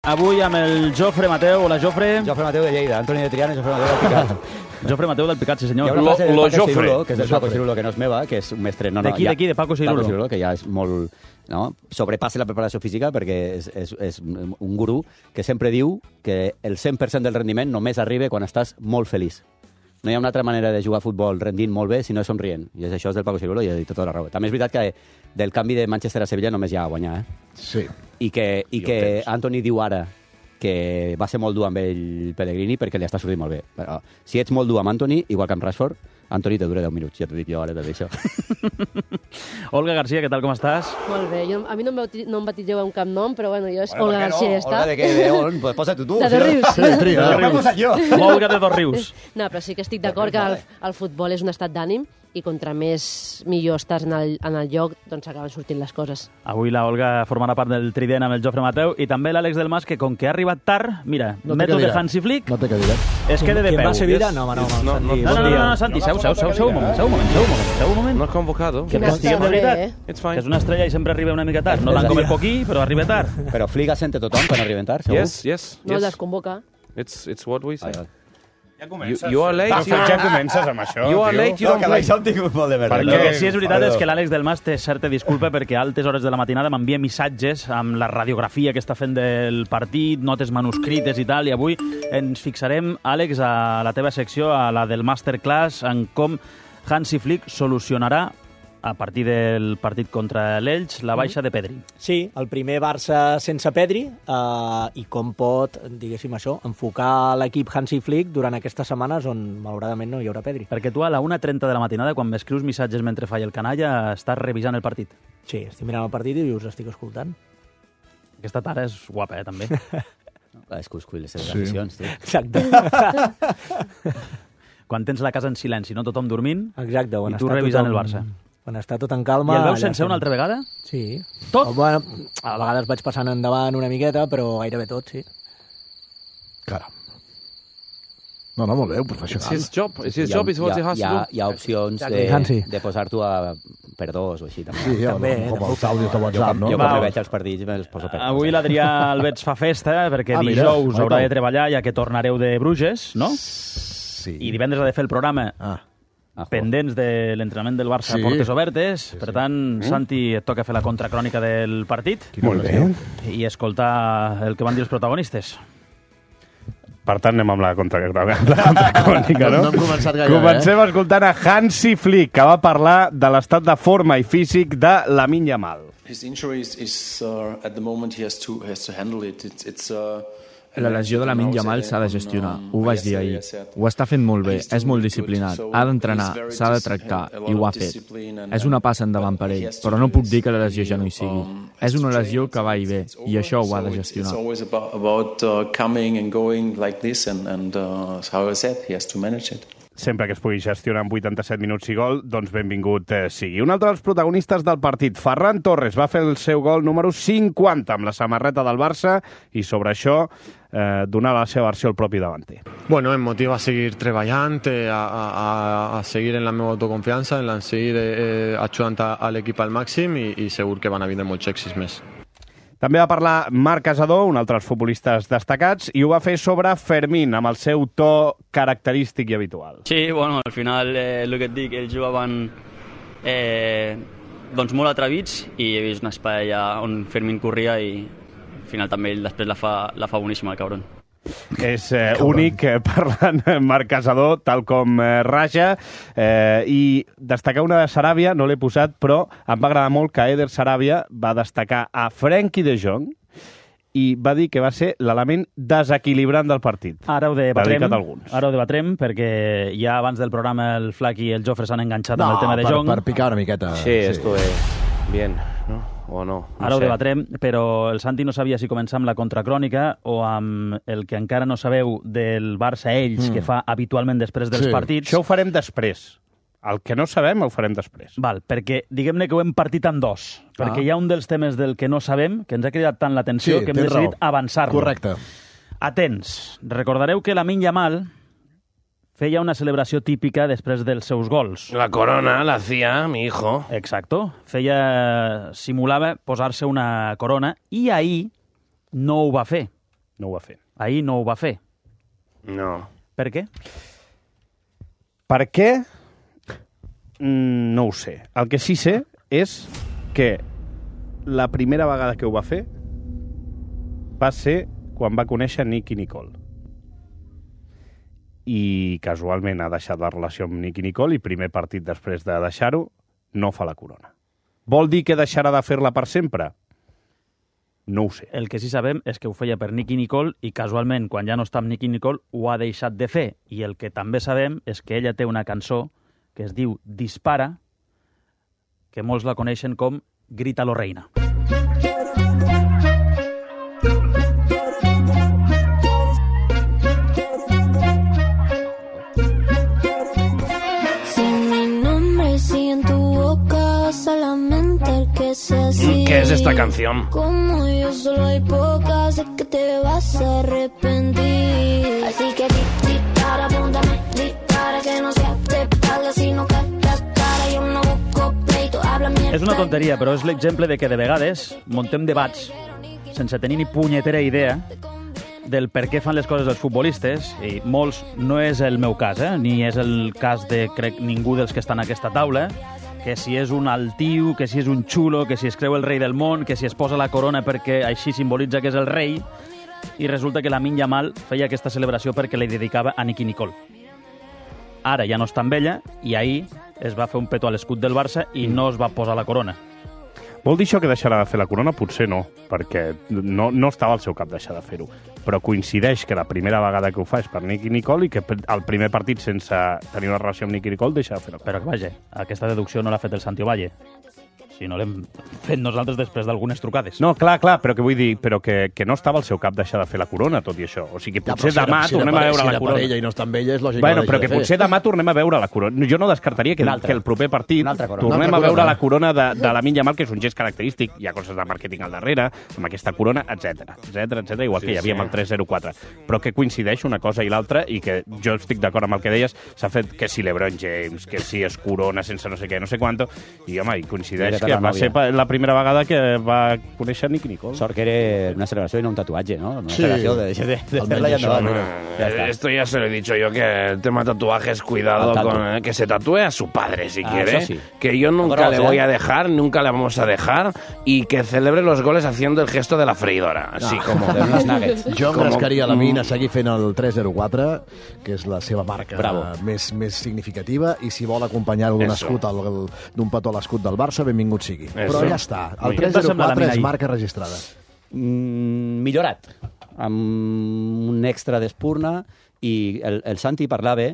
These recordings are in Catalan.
avui amb el Jofre Mateu. Hola, Jofre. Jofre Mateu de Lleida, Antoni de Triana i Jofre Mateu del Picat. Jofre Mateu del Picat, sí senyor. Hi ha una frase del Paco Jofre. Cirulo, que és del Paco Cirulo, que no és meva, que és un mestre... D'aquí, de Paco Cirulo. Paco Cirulo, que ja és molt... No? Sobrepassa la preparació física perquè és un gurú que sempre diu que el 100% del rendiment només arriba quan estàs molt feliç. No hi ha una altra manera de jugar a futbol rendint molt bé si no és somrient. I això és del Paco Cirulo i ha dit tota la raó. També és veritat que del canvi de Manchester a Sevilla només hi ha a guanyar. Sí. I que Antoni diu ara que va ser molt dur amb ell Pellegrini perquè li està sortint molt bé. Però si ets molt dur amb Antoni, igual que amb Rashford, Antoni te dura 10 minuts, ja t'ho dic jo ara de això. Olga García, què tal, com estàs? Molt bé, a mi no em batilleu amb cap nom, però bueno, jo és Olga García, ja està. Olga de què? De on? Pues posa-t'ho tu. De Dosrius. Sí, tria. M'he posat jo. Olga de Dosrius. No, però sí que estic d'acord que el futbol és un estat d'ànim i contra més millor estàs en el lloc, doncs acaben sortint les coses. Avui la Olga formarà part del trident amb el Jofre Mateu i també l'Àlex del Mas, que com que ha arribat tard, mira, No té mètode cadira. Hansi Flick, No té cadira. es queda de ¿Quién peu. va a Sevilla? No, No, Santi, seu un moment. No has convocado. Que Quina estiguem de sort, veritat. It's Que fine. és una estrella i sempre arriba una mica tard. No tant com el Poquí, però arriba tard. Però Flick assenta a tothom quan arriben tard, segur? Yes. No el desconvoca. It's what we say. Vale. Ja comences. You are late. Ja comences amb això, You are tio. late, you don't play. hem tingut molt de merda. El que sí és veritat és que l'Àlex del Mas té certa disculpa perquè a altes hores de la matinada m'envia missatges amb la radiografia que està fent del partit, notes manuscrites i tal, i avui ens fixarem, Àlex, a la teva secció, a la del Masterclass, en com Hansi Flick solucionarà a partir del partit contra l'Elx la baixa de Pedri. Sí, el primer Barça sense Pedri i com pot, diguéssim això, enfocar l'equip Hansi Flick durant aquestes setmanes on malauradament no hi haurà Pedri. Perquè tu a la 1:30 de la matinada, quan m'escrius missatges mentre falla el canalla, estàs revisant el partit. Sí, estic mirant el partit i us estic escoltant. Aquesta tara és guapa, també. És que us cull les seves Sí. aficions, tu. Exacte. Quan tens la casa en silenci, no tothom dormint, Exacte. i tu revisant el Barça. Quan està tot en calma... I el veus allà sencer una altra vegada? Sí. Tot? Bueno, a vegades vaig passant endavant una miqueta, però gairebé tot, sí. Caram. No, molt bé, professional. It's his job. It's his job. It's what he has to do. Hi ha opcions Hansi. de posar-t'ho per dos o així. També. Sí, com els àudios de WhatsApp, no? Jo Va. quan veig els partits me'ls poso per Avui l'Adrià Alberts fa festa perquè mira, dijous ai, haurà Pau. de treballar ja que tornareu de Bruges, no? Sí. I divendres ha de fer el programa pendents de l'entrenament del Barça Sí. a portes obertes. Per tant, Santi, et toca fer la contracrònica del partit Molt bé. i escoltar el que van dir els protagonistes. Per tant, anem amb la contracrònica, no? No hem començat gaire, Comencem escoltant a Hansi Flick, que va parlar de l'estat de forma i físic de Lamine Yamal. His injury is at the moment he has to handle it. It's La lesió de Lamine Yamal s'ha de gestionar. Ho vaig dir ahir. Ho està fent molt bé, és molt disciplinat. Ha d'entrenar, s'ha de tractar, i ho ha fet. És una passa endavant per ell, però no puc dir que la lesió ja no hi sigui. És una lesió que va i ve, i això ho ha de gestionar. It's always about coming and going like this, and how I said, he has to manage it. Sempre que es pugui gestionar en 87 minuts i gol, doncs benvingut sigui. Un altre dels protagonistes del partit, Ferran Torres, va fer el seu gol número 50 amb la samarreta del Barça i sobre això donava la seva versió el propi davanter. Bueno, em motiva a seguir treballant, a seguir en la meva autoconfiança, en seguir ajudant a l'equip al màxim i segur que van a vindre molts èxits més. També va parlar Marc Casadó, un altre dels futbolistes destacats, i ho va fer sobre Fermín, amb el seu to característic i habitual. Sí, bueno, al final el que et dic, ells jugaven doncs molt atrevits i he vist un espai allà on Fermín corria i al final també ell després la fa boníssima, el cabron. És únic parlant Marc Casadó, tal com Raja, i destacar una de Saràbia, no l'he posat, però em va agradar molt que Eder Saràbia va destacar a Frenkie de Jong i va dir que va ser l'element desequilibrant del partit. Ara ho debatrem, Dedicat a alguns. ara ho debatrem perquè ja abans del programa el Flac i el Jofre s'han enganxat amb el tema de Jong. per picar una miqueta. Sí, estuve bien, ¿no? O no. Ara ho debatrem, però el Santi no sabia si començar amb la contracrònica o amb el que encara no sabeu del Barça ells, que fa habitualment després dels Sí. partits. Això ho farem després. El que no sabem ho farem després. Val, perquè diguem-ne que ho hem partit en dos, perquè hi ha un dels temes del que no sabem, que ens ha cridat tant l'atenció, Sí, que hem tens decidit raó. avançar-lo. Correcte. Atents. Recordareu que Lamine Yamal feia una celebració típica després dels seus gols. La corona la hacía mi hijo. Exacto. Simulava posar-se una corona i ahir no ho va fer. No ho va fer. Ahir no ho va fer. No. Per què? Per què? No ho sé. El que sí sé és que la primera vegada que ho va fer va ser quan va conèixer Nicky Nicole. I casualment ha deixat la relació amb Nicky Nicole i primer partit després de deixar-ho no fa la corona. Vol dir que deixarà de fer-la per sempre? No ho sé. El que sí sabem és que ho feia per Nicky Nicole i casualment, quan ja no està amb Nicky Nicole, ho ha deixat de fer. I el que també sabem és que ella té una cançó que es diu Dispara, que molts la coneixen com Grítalo Reina. ¿Qué es esta canción? Como yo solo hay pocas, sé que te vas a arrepentir. Así que dispara, apúntame, dispara, que no sea de espalda, sino que cara, yo no busco pleito, habla mierda. És una tonteria, però és l'exemple de que de vegades montem debats sense tenir ni punyetera idea del per què fan les coses els futbolistes, i molts no és el meu cas, ni és el cas de, crec, ningú dels que estan a aquesta taula, que si és un altiu, que si és un xulo, que si es creu el rei del món, que si es posa la corona perquè així simbolitza que és el rei, i resulta que Lamine Yamal feia aquesta celebració perquè li dedicava a Nicky Nicole. Ara ja no està amb ella, i ahir es va fer un petó a l'escut del Barça i no es va posar la corona. Vol dir això que deixarà de fer la corona? Potser no, perquè no estava al seu cap deixar de fer-ho. Però coincideix que la primera vegada que ho fa és per Nicky Nicole i que el primer partit sense tenir una relació amb Nicky Nicole deixa de fer la corona. Però que vaja, aquesta deducció no l'ha fet el Santi Ovalle. Si no l'hem fet nosaltres després d'algunes trucades. No, clar, però que vull dir, però que no estava al seu cap deixar de fer la corona, tot i això. O sigui, potser demà tornem a veure la corona. Si era per ella i no està amb ella, és lògic bueno, però que potser demà tornem a veure la corona. Jo no descartaria que el proper partit tornem a veure la corona de Lamine Yamal, que és un gest característic. Hi ha coses de màrqueting al darrere, amb aquesta corona, etc, igual que hi havia amb el 3-0-4. Però que coincideix una cosa i l'altra, i que jo estic d'acord amb el que deies, s'ha fet que si LeBron James, que si es corona sense no sé què, no sé quanto, i home, i coincideix que va ser la primera vegada que va conèixer Nicky Nicole. Sort que era una celebració i no un tatuatge, ¿no? Una celebració de fer-la i endavant. Esto ya se lo he dicho yo, que el tema tatuajes, cuidado con que se tatúe a su padre si quiere, sí. Que yo nunca le voy a dejar, nunca le vamos a dejar, y que celebre los goles haciendo el gesto de la freidora, así como de unos nuggets. Jo em rascaria la mina a seguir fent el 3-0-4, que és la seva marca més significativa, i si vol acompanyar-ho d'un escut, d'un petó a l'escut del Barça, benvingut sigui. Però ja està, el 3-0-4 és marca registrada. Millorat, amb un extra d'espurna, i el Santi parlava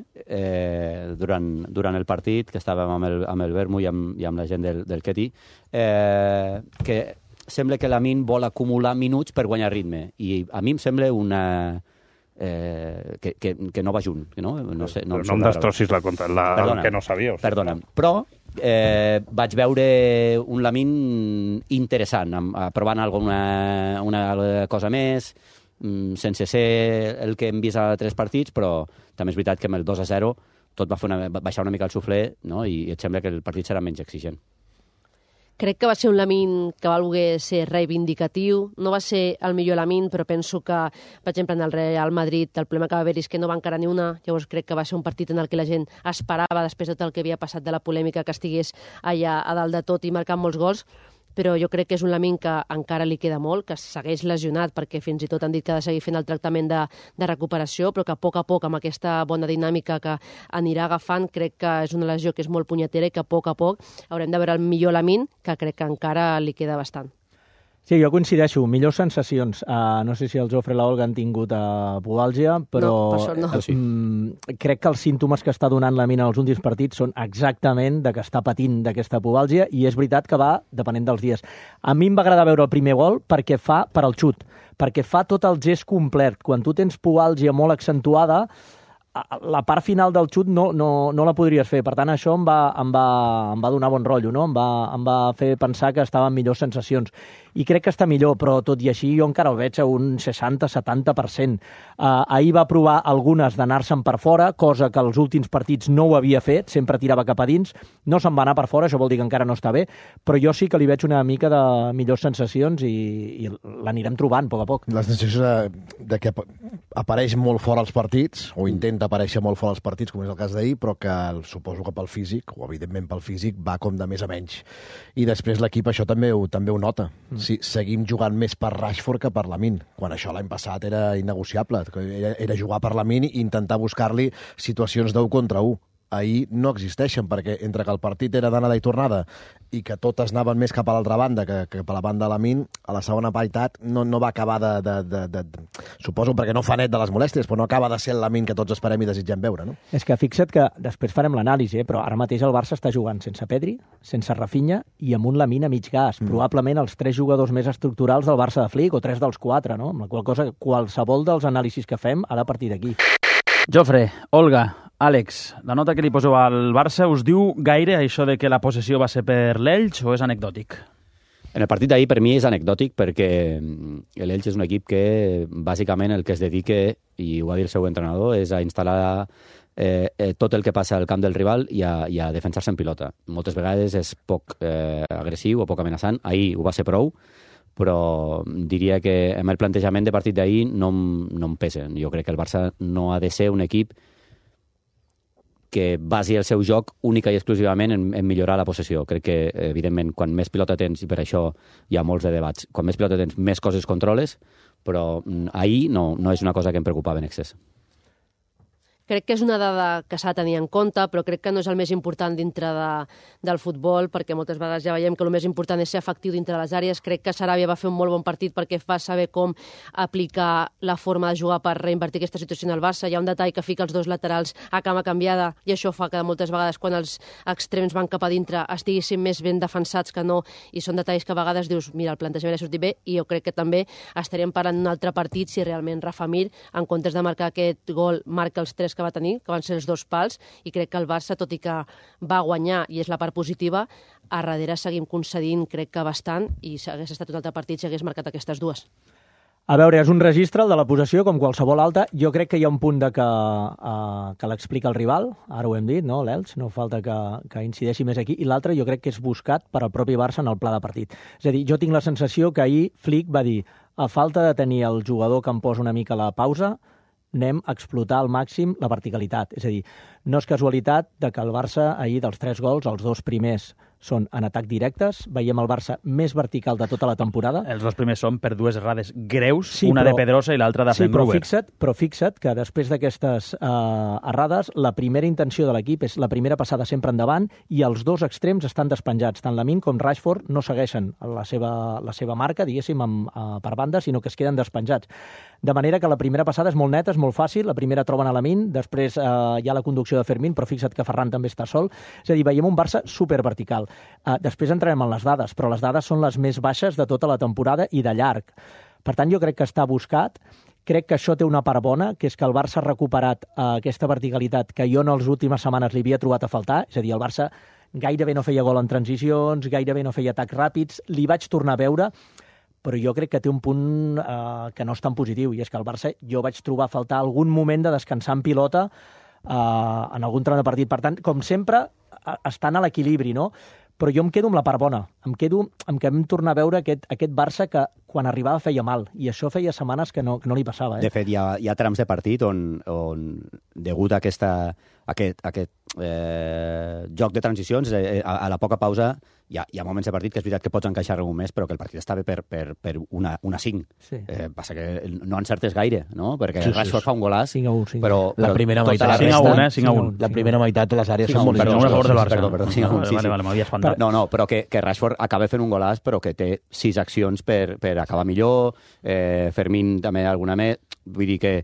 durant el partit, que estàvem amb el Vermo i amb la gent del Ketty, que sembla que Lamine vol acumular minuts per guanyar ritme, i a mi em sembla una... que no va junt. No em destrossis el que no sabíeu. Perdona'm. Però vaig veure un Lamine interessant, provant alguna cosa més, sense ser el que hem vist a 3 partits, però també és veritat que amb el 2-0 tot va baixar una mica el suflé, no? I et sembla que el partit serà menys exigent. Crec que va ser un Lamine que va voler ser reivindicatiu. No va ser el millor Lamine, però penso que, per exemple, en el Real Madrid el problema que va haver és que no va encarar ni una. Llavors crec que va ser un partit en el que la gent esperava, després de tot el que havia passat de la polèmica, que estigués allà a dalt de tot i marcant molts gols. Però jo crec que és un Lamine que encara li queda molt, que segueix lesionat, perquè fins i tot han dit que ha de seguir fent el tractament de recuperació, però que a poc, amb aquesta bona dinàmica que anirà agafant, crec que és una lesió que és molt punyetera i que a poc haurem de veure el millor Lamine, que crec que encara li queda bastant. Sí, jo coincideixo. Millors sensacions. No sé si el Jofre i l'Olga han tingut pubalgia, però no. Crec que els símptomes que està donant la mina als últims partits són exactament de que està patint d'aquesta pubalgia, i és veritat que va depenent dels dies. A mi em va agradar veure el primer gol perquè fa per al xut, perquè fa tot el gest complet. Quan tu tens pubalgia molt accentuada, la part final del xut no la podries fer. Per tant, això em va donar bon rotllo, no? Em va fer pensar que estava en millors sensacions. I crec que està millor, però tot i així jo encara el veig a un 60-70%. Ahir va provar algunes d'anar-se'n per fora, cosa que els últims partits no ho havia fet, sempre tirava cap a dins. No se'n va anar per fora, això vol dir que encara no està bé, però jo sí que li veig una mica de millors sensacions i l'anirem trobant a poc a poc. La sensació de que apareix molt fora als partits, o intenta aparèixer molt fora als partits, com és el cas d'ahir, però que suposo que pel físic, o evidentment pel físic, va com de més a menys. I després l'equip això també ho nota. Sí, seguim jugant més per Rashford que per Lamine, quan això l'any passat era innegociable. Era jugar per Lamine i intentar buscar-li situacions d'1 contra 1. Ahir no existeixen, perquè entre que el partit era d'anada i tornada i que totes anaven més cap a l'altra banda que cap a la banda de Lamine, a la segona meitat no va acabar suposo perquè no fa net de les molèsties, però no acaba de ser el Lamine que tots esperem i desitgem veure, no? És que fixa't que després farem l'anàlisi, però ara mateix el Barça està jugant sense Pedri, sense Rafinha i amb un Lamine a mig gas. Probablement els 3 jugadors més estructurals del Barça de Flick, o 3 dels 4, no? Amb la qual cosa, qualsevol dels anàlisis que fem ha de partir d'aquí. Jofre, Olga, Àlex, la nota que li poseu al Barça us diu gaire això de que la possessió va ser per l'Elx o és anecdòtic? En el partit d'ahir per mi és anecdòtic perquè l'Elx és un equip que bàsicament el que es dedica, i ho va dir el seu entrenador, és a instal·lar tot el que passa al camp del rival i a defensar-se en pilota. Moltes vegades és poc agressiu o poc amenaçant. Ahir ho va ser prou, però diria que amb el plantejament de partit d'ahir no em pesa. Jo crec que el Barça no ha de ser un equip que basi el seu joc única i exclusivament en millorar la possessió. Crec que, evidentment, quan més pilota tens, i per això hi ha molts de debats, quan més pilota tens, més coses controles, però ahir no és una cosa que em preocupava en excés. Crec que és una dada que s'ha de tenir en compte, però crec que no és el més important dintre del futbol, perquè moltes vegades ja veiem que el més important és ser efectiu dintre de les àrees. Crec que Sarabia va fer un molt bon partit perquè va saber com aplicar la forma de jugar per reinvertir aquesta situació en el Barça. Hi ha un detall que fica els 2 laterals a cama canviada i això fa que moltes vegades quan els extrems van cap a dintre estiguessin més ben defensats que no, i són detalls que a vegades dius, mira, el plantejament ha sortit bé, i jo crec que també estaríem parlant d'un altre partit si realment Rafa Mir, en comptes de marcar aquest gol, marca els 3 que va tenir, que van ser els 2 pals, i crec que el Barça, tot i que va guanyar, i és la part positiva, a darrere seguim concedint, crec que bastant, i si hagués estat un altre partit si hagués marcat aquestes 2. A veure, és un registre, el de la possessió, com qualsevol altra. Jo crec que hi ha un punt de que l'explica el rival, ara ho hem dit, no, l'Elx, no falta que incideixi més aquí, i l'altre jo crec que és buscat per al propi Barça en el pla de partit. És a dir, jo tinc la sensació que ahir Flick va dir, a falta de tenir el jugador que em posa una mica la pausa, anem a explotar al màxim la verticalitat. És a dir, no és casualitat de que el Barça ahir dels 3 gols, els 2 primers són en atac directes. Veiem el Barça més vertical de tota la temporada. Els 2 primers són per 2 errades greus, sí, una de Pedrosa i l'altra de Fenruber. Però fixa't que després d'aquestes errades, la primera intenció de l'equip és la primera passada sempre endavant i els 2 extrems estan despenjats. Tant Lamine com Rashford no segueixen la seva marca, diguéssim, per banda, sinó que es queden despenjats. De manera que la primera passada és molt neta, és molt fàcil. La primera troben a Lamine, després hi ha la conducció de Fermín, però fixa't que Ferran també està sol. És a dir, veiem un Barça supervertical. Després entrarem en les dades, però les dades són les més baixes de tota la temporada i de llarg. Per tant, jo crec que està buscat. Crec que això té una part bona, que és que el Barça ha recuperat aquesta verticalitat que jo en les últimes setmanes li havia trobat a faltar. És a dir, el Barça gairebé no feia gol en transicions, gairebé no feia atacs ràpids. Li vaig tornar a veure, però jo crec que té un punt que no és tan positiu, i és que el Barça jo vaig trobar a faltar algun moment de descansar en pilota en algun tram de partit. Per tant, com sempre, estan a l'equilibri, no? Però jo em quedo amb la part bona. Em quedo amb que vam tornar a veure aquest Barça que quan arribava feia mal, i això feia setmanes que no li passava. De fet, hi ha trams de partit on degut a aquest joc de transicions, a la poca pausa, hi ha moments de partit que és veritat que pots encaixar algun més, però que el partit està bé per una 5. Sí. Passa que no encertes gaire, no? Perquè Rashford fa un golàs, 5-1. Però la primera meitat... 5-1. La primera meitat les àrees són molt Perdó, 5-1. No, però que Rashford acaba fent un golàs, però que té 6 accions per acabar millor, Fermín també alguna més, vull dir que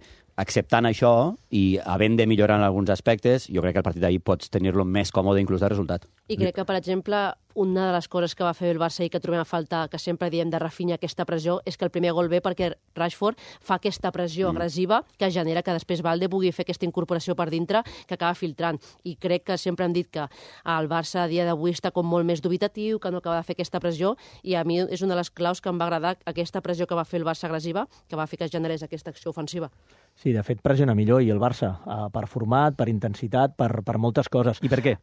acceptant això i havent de millorar en alguns aspectes, jo crec que el partit d'ahir pots tenir-lo més còmode inclús de resultat. I crec que, per exemple, una de les coses que va fer el Barça i que trobem a falta, que sempre diem de Rafinha, aquesta pressió, és que el primer gol ve perquè Rashford fa aquesta pressió agressiva que genera que després Valde pugui fer aquesta incorporació per dintre que acaba filtrant. I crec que sempre hem dit que el Barça a dia d'avui està com molt més dubitatiu, que no acaba de fer aquesta pressió, i a mi és una de les claus que em va agradar aquesta pressió que va fer el Barça agressiva, que va fer que es generés aquesta acció ofensiva. Sí, de fet, pressiona millor i el Barça, per format, per intensitat, per moltes coses. I per què?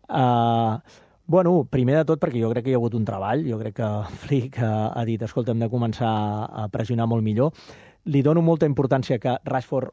Bueno, primer de tot perquè jo crec que hi ha hagut un treball, jo crec que Flick ha dit, escolta, hem de començar a pressionar molt millor. Li dono molta importància que Rashford,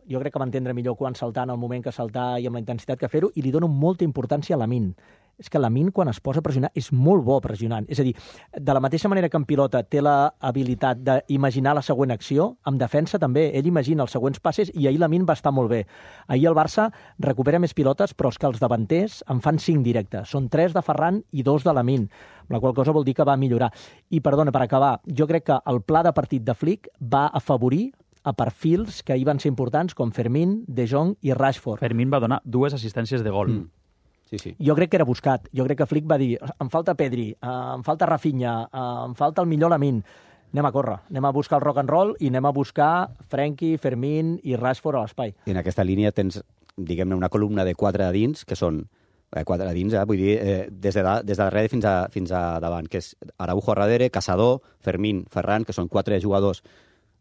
jo crec que va entendre millor quan saltar, en el moment que saltar i amb la intensitat que fer-ho, i li dono molta importància a Lamine. És que Lamine, quan es posa a pressionar, és molt bo pressionant. És a dir, de la mateixa manera que en pilota té la habilitat d'imaginar la següent acció, en defensa també. Ell imagina els següents passes i ahir Lamine va estar molt bé. Ahir el Barça recupera més pilotes, però és que els davanters en fan 5 directes. Són 3 de Ferran i 2 de Lamine, amb la qual cosa vol dir que va millorar. I, perdona, per acabar, jo crec que el pla de partit de Flick va afavorir a perfils que ahir van ser importants, com Fermín, De Jong i Rashford. Fermín va donar 2 assistències de gol. Sí. Jo crec que era buscat. Jo crec que Flick va dir, em falta Pedri, em falta Rafinha, em falta el millor Lamine. Anem a córrer, anem a buscar el rock and roll i anem a buscar Frenkie, Fermín i Rashford a l'espai. I en aquesta línia tens, diguem-ne, una columna de 4 a dins, que són 4 a dins, vull dir, des de darrere fins a davant, que és Araujo a darrere, Caçador, Fermín, Ferran, que són 4 jugadors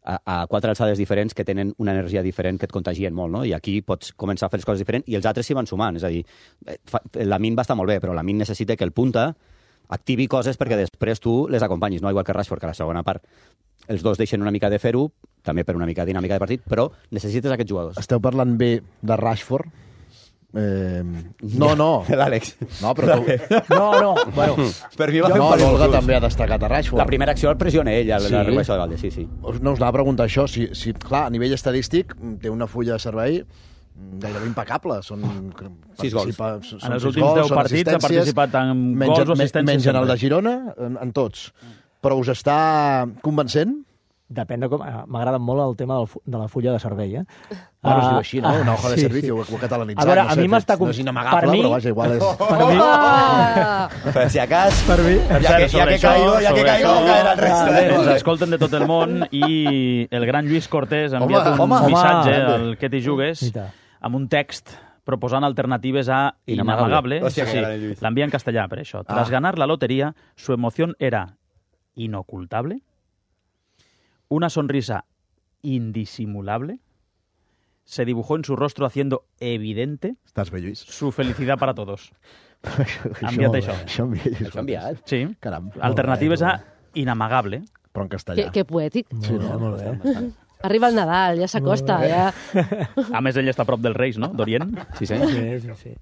a 4 alçades diferents que tenen una energia diferent que et contagien molt, no? I aquí pots començar a fer les coses diferents i els altres s'hi van sumant. És a dir, Lamine va estar molt bé, però Lamine necessita que el punta activi coses perquè després tu les acompanyis, no? Igual que Rashford, que a la segona part els dos deixen una mica de fer-ho, també per una mica de dinàmica de partit, però necessites aquests jugadors. Esteu parlant bé de Rashford? No. L'Àlex. No, però tu... No. Bueno, per mi va fer l'Olga també ha destacat a Rashford. La primera acció el pressiona ell, la regulació de Valde, sí. No us anava a preguntar això. Si, clar, a nivell estadístic té una fulla de servei gairebé impecable. Són 6 gols. En els últims 10 partits ha participat en gols o assistències. Menys en el de Girona, en tots. Però us està convencent? Depèn de com... M'agrada molt el tema de la fulla de servei, Bueno, es diu així, no? Una hoja de servicio, ho he catalanitzat. A veure, no sé, a mi m'està... No és inamagable, però vaja, igual és... Per si acas... Per mi... Ja que caigo, caerà el resto. Ens escolten de tot el món i el gran Lluís Cortés ha enviat un missatge al Que t'hi jugues amb un text proposant alternatives a Inamagable. L'envia en castellà, per això. Tras ganar la lotería, su emoción era inocultable, una sonrisa indisimulable, se dibujó en su rostro haciendo evidente su felicidad para todos. Enviat això. Això enviat? Sí. Caram. Alternatives a inamagable. Però en castellà. Que poètic. Sí, molt bé. Arriba el Nadal, ja s'acosta. Ja. A més, ell està a prop dels Reis, no? D'Orient. Sí.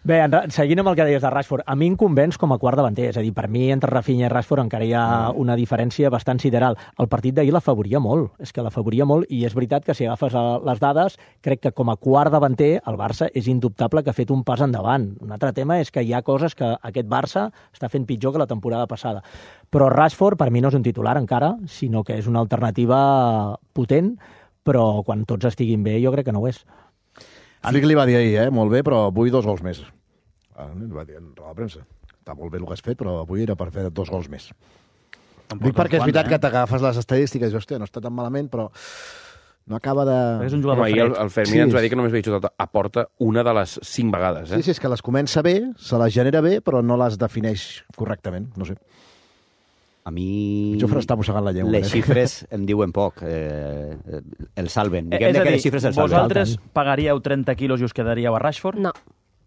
Bé, seguint amb el que deies de Rashford, a mi em convenç com a quart davanter. És a dir, per mi, entre Rafinha i Rashford encara hi ha una diferència bastant sideral. El partit d'ahir l'afavoria molt. És que l'afavoria molt i és veritat que si agafes les dades, crec que com a quart davanter el Barça és indubtable que ha fet un pas endavant. Un altre tema és que hi ha coses que aquest Barça està fent pitjor que la temporada passada. Però Rashford, per mi, no és un titular encara, sinó que és una alternativa potent, però quan tots estiguin bé jo crec que no ho és. Flick li va dir ahir, molt bé, però avui 2 gols més. Li va dir a la premsa. Està molt bé el que has fet, però avui era per fer 2 gols més. Dic perquè és veritat que t'agafes les estadístiques i dius, hòstia, no està tan malament, però no acaba de... És un jugador fred. El Fermín ens va dir que només havia jugat a porta una de les 5 vegades. Sí, és que les comença bé, se les genera bé, però no les defineix correctament, no sé. A mi... Jofre està mossegant la llengua. Les xifres em diuen poc. El salven. És a dir, les xifres el salven. vosaltres pagaríeu 30 quilos i us quedaríeu a Rashford? No.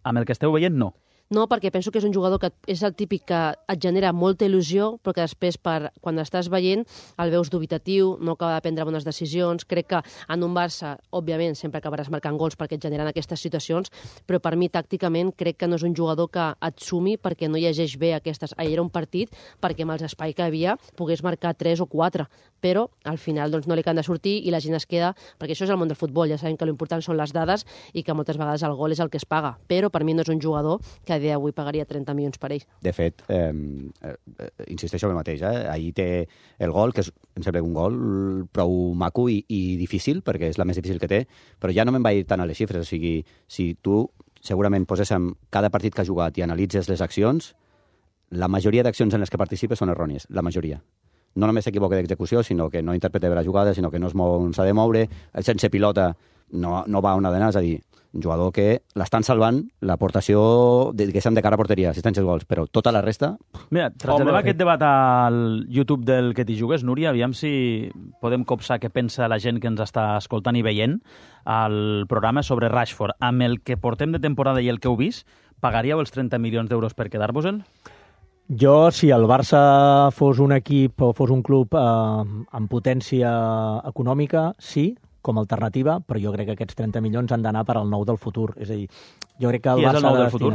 Amb el que esteu veient, no. No, perquè penso que és un jugador que és el típic que et genera molta il·lusió, però que després, quan estàs veient, el veus dubitatiu, no acaba de prendre bones decisions. Crec que en un Barça, òbviament, sempre acabaràs marcant gols perquè et generen aquestes situacions, però per mi, tàcticament, crec que no és un jugador que et sumi perquè no llegeix bé aquestes... Ahir era un partit perquè amb els espais que havia pogués marcar 3 o 4, però al final doncs, no li han de sortir i la gent es queda... Perquè això és el món del futbol, ja sabem que l'important són les dades i que moltes vegades el gol és el que es paga, però per mi no és un jugador que a dia d'avui pagaria 30 milions per ell. De fet, insisteixo en el mateix. Ahir té el gol, que és, em sembla un gol prou maco i difícil, perquè és la més difícil que té, però ja no me'n va ir tant a les xifres. O sigui, si tu segurament poséssim cada partit que ha jugat i analitzes les accions, la majoria d'accions en les que participa són errònies, la majoria. No només s'equivoca d'execució, sinó que no interpreta bé la jugada, sinó que no es mou on s'ha de moure, el sense pilota no va on ha d'anar, és a dir, un jugador que l'estan salvant l'aportació de cara a porteria, assistències gols, però tota la resta... Mira, traslladem aquest debat al YouTube del Que t'hi jugues, Núria, aviam si podem copsar què pensa la gent que ens està escoltant i veient al programa sobre Rashford. Amb el que portem de temporada i el que heu vist, pagaríeu els 30 milions d'euros per quedar-vos-en? Jo, si el Barça fos un equip o fos un club amb potència econòmica, sí, com a alternativa, però jo crec que aquests 30 milions han d'anar per al nou del futur. És a dir, jo crec que el Barça... Qui és el nou del futur?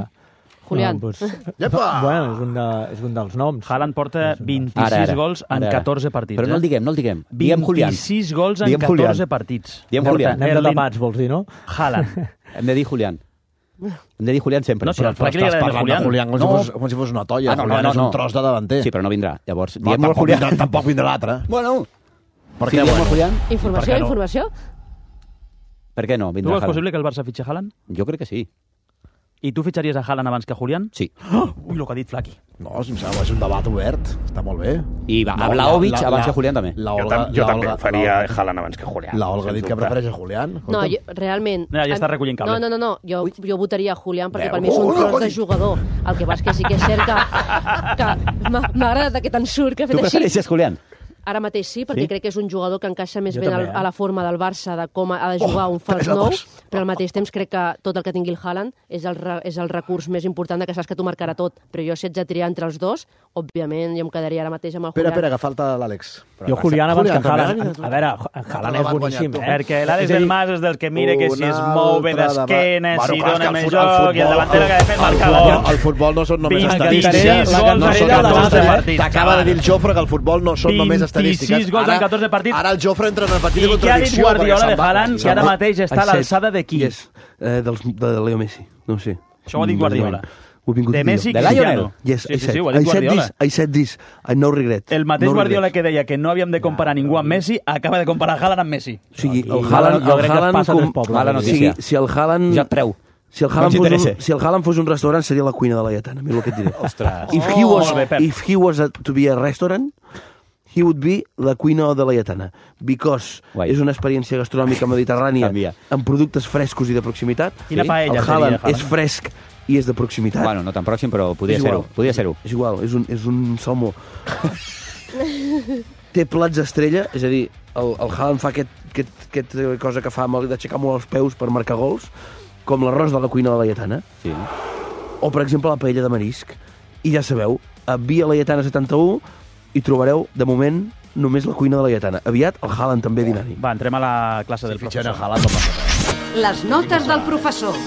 Julián. Bueno, és un dels noms. Haaland porta 26 gols en 14 partits. Però no el diguem, Diguem Julián. 26 gols en 14 partits. Diguem Julián. Anem de tapats, vols dir, no? Haaland. Hem de dir Julián. Hem de dir Julián sempre. No, si el Flac li agrada dir Julián. Com si fos una toia. Julián és un tros de davanter. Sí, però no vindrà. Llavors, diem Julián. Tampoc vindrà l'altre. Bueno. Per què Julián? Informació? Per què no? Tu veus possible que el Barça fitxi Haaland? Jo crec que sí. I tu fitxaries a Haaland abans que a Julián? Sí. Ui, el que ha dit Flaqui. No, si em sembla, és un debat obert. Està molt bé. I a Vlahovic abans que Julián també. Jo també faria Haaland abans que Julián. La Olga ha dit que prefereix a Julián. No, realment... Ja està recollint cable. No. Jo votaria a Julián perquè per mi és un tros de jugador. El que passa que sí que és cert que m'ha agradat aquest ensurt que ha fet així. Tu prefereixes Julián? Ara mateix sí, perquè crec que és un jugador que encaixa més ben a la forma del Barça, de com ha de jugar un fals nou, però al mateix temps crec que tot el que tingui el Haaland és el recurs més important que saps que t'ho marcarà tot. Però jo, si haig de triar entre els dos, òbviament jo em quedaria ara mateix amb el Julián. Espera, que falta l'Àlex. Jo Julián abans que Haaland. A veure, Haaland és boníssim. Perquè l'Àlex del Mas és del que mira que si es mou bé d'esquena, si dona més joc, i el davanter que ha de fer marcar gol. El futbol no són només estadístiques. T'acaba de dir el Jofre que el futbol no són només estadístiques. 26 gols en 14 partits. Ara el Jofre entra en una petita contradicció. I què ha dit Guardiola de Haaland, que ara mateix està a l'alçada de qui? De Leo Messi, no sé. Això ho ha dit Guardiola. De Messi, de Lionel. Yes, sí, ho ha dit Guardiola. I said this, I no regret. El mateix Guardiola que deia que no havíem de comparar ningú amb Messi, acaba de comparar Haaland amb Messi. O sigui, el Haaland... Mala notícia. Si el Haaland... Ja et preu. Si el Haaland fos un restaurant, seria la cuina de la Lletana, mira el que et diré. Ostres. If he was to be a restaurant, he would be la cuina de la Lletana, because és una experiència gastronòmica mediterrània amb productes frescos i de proximitat. Quina paella el Haaland és fresc i és de proximitat. Bueno, no tan pròxim, però podia ser-ho. És igual, és un salmó. Té plats estrella, és a dir, el Haaland fa aquest cosa que fa d'aixecar molt els peus per marcar gols, com l'arròs de la cuina de la Lletana. Sí. O, per exemple, la paella de marisc. I ja sabeu, a Via Laietana 71 hi trobareu, de moment, només la cuina de la Laietana. Aviat, el Haaland també dinant-hi. Va, entrem a la classe del professor. Les notes del professor.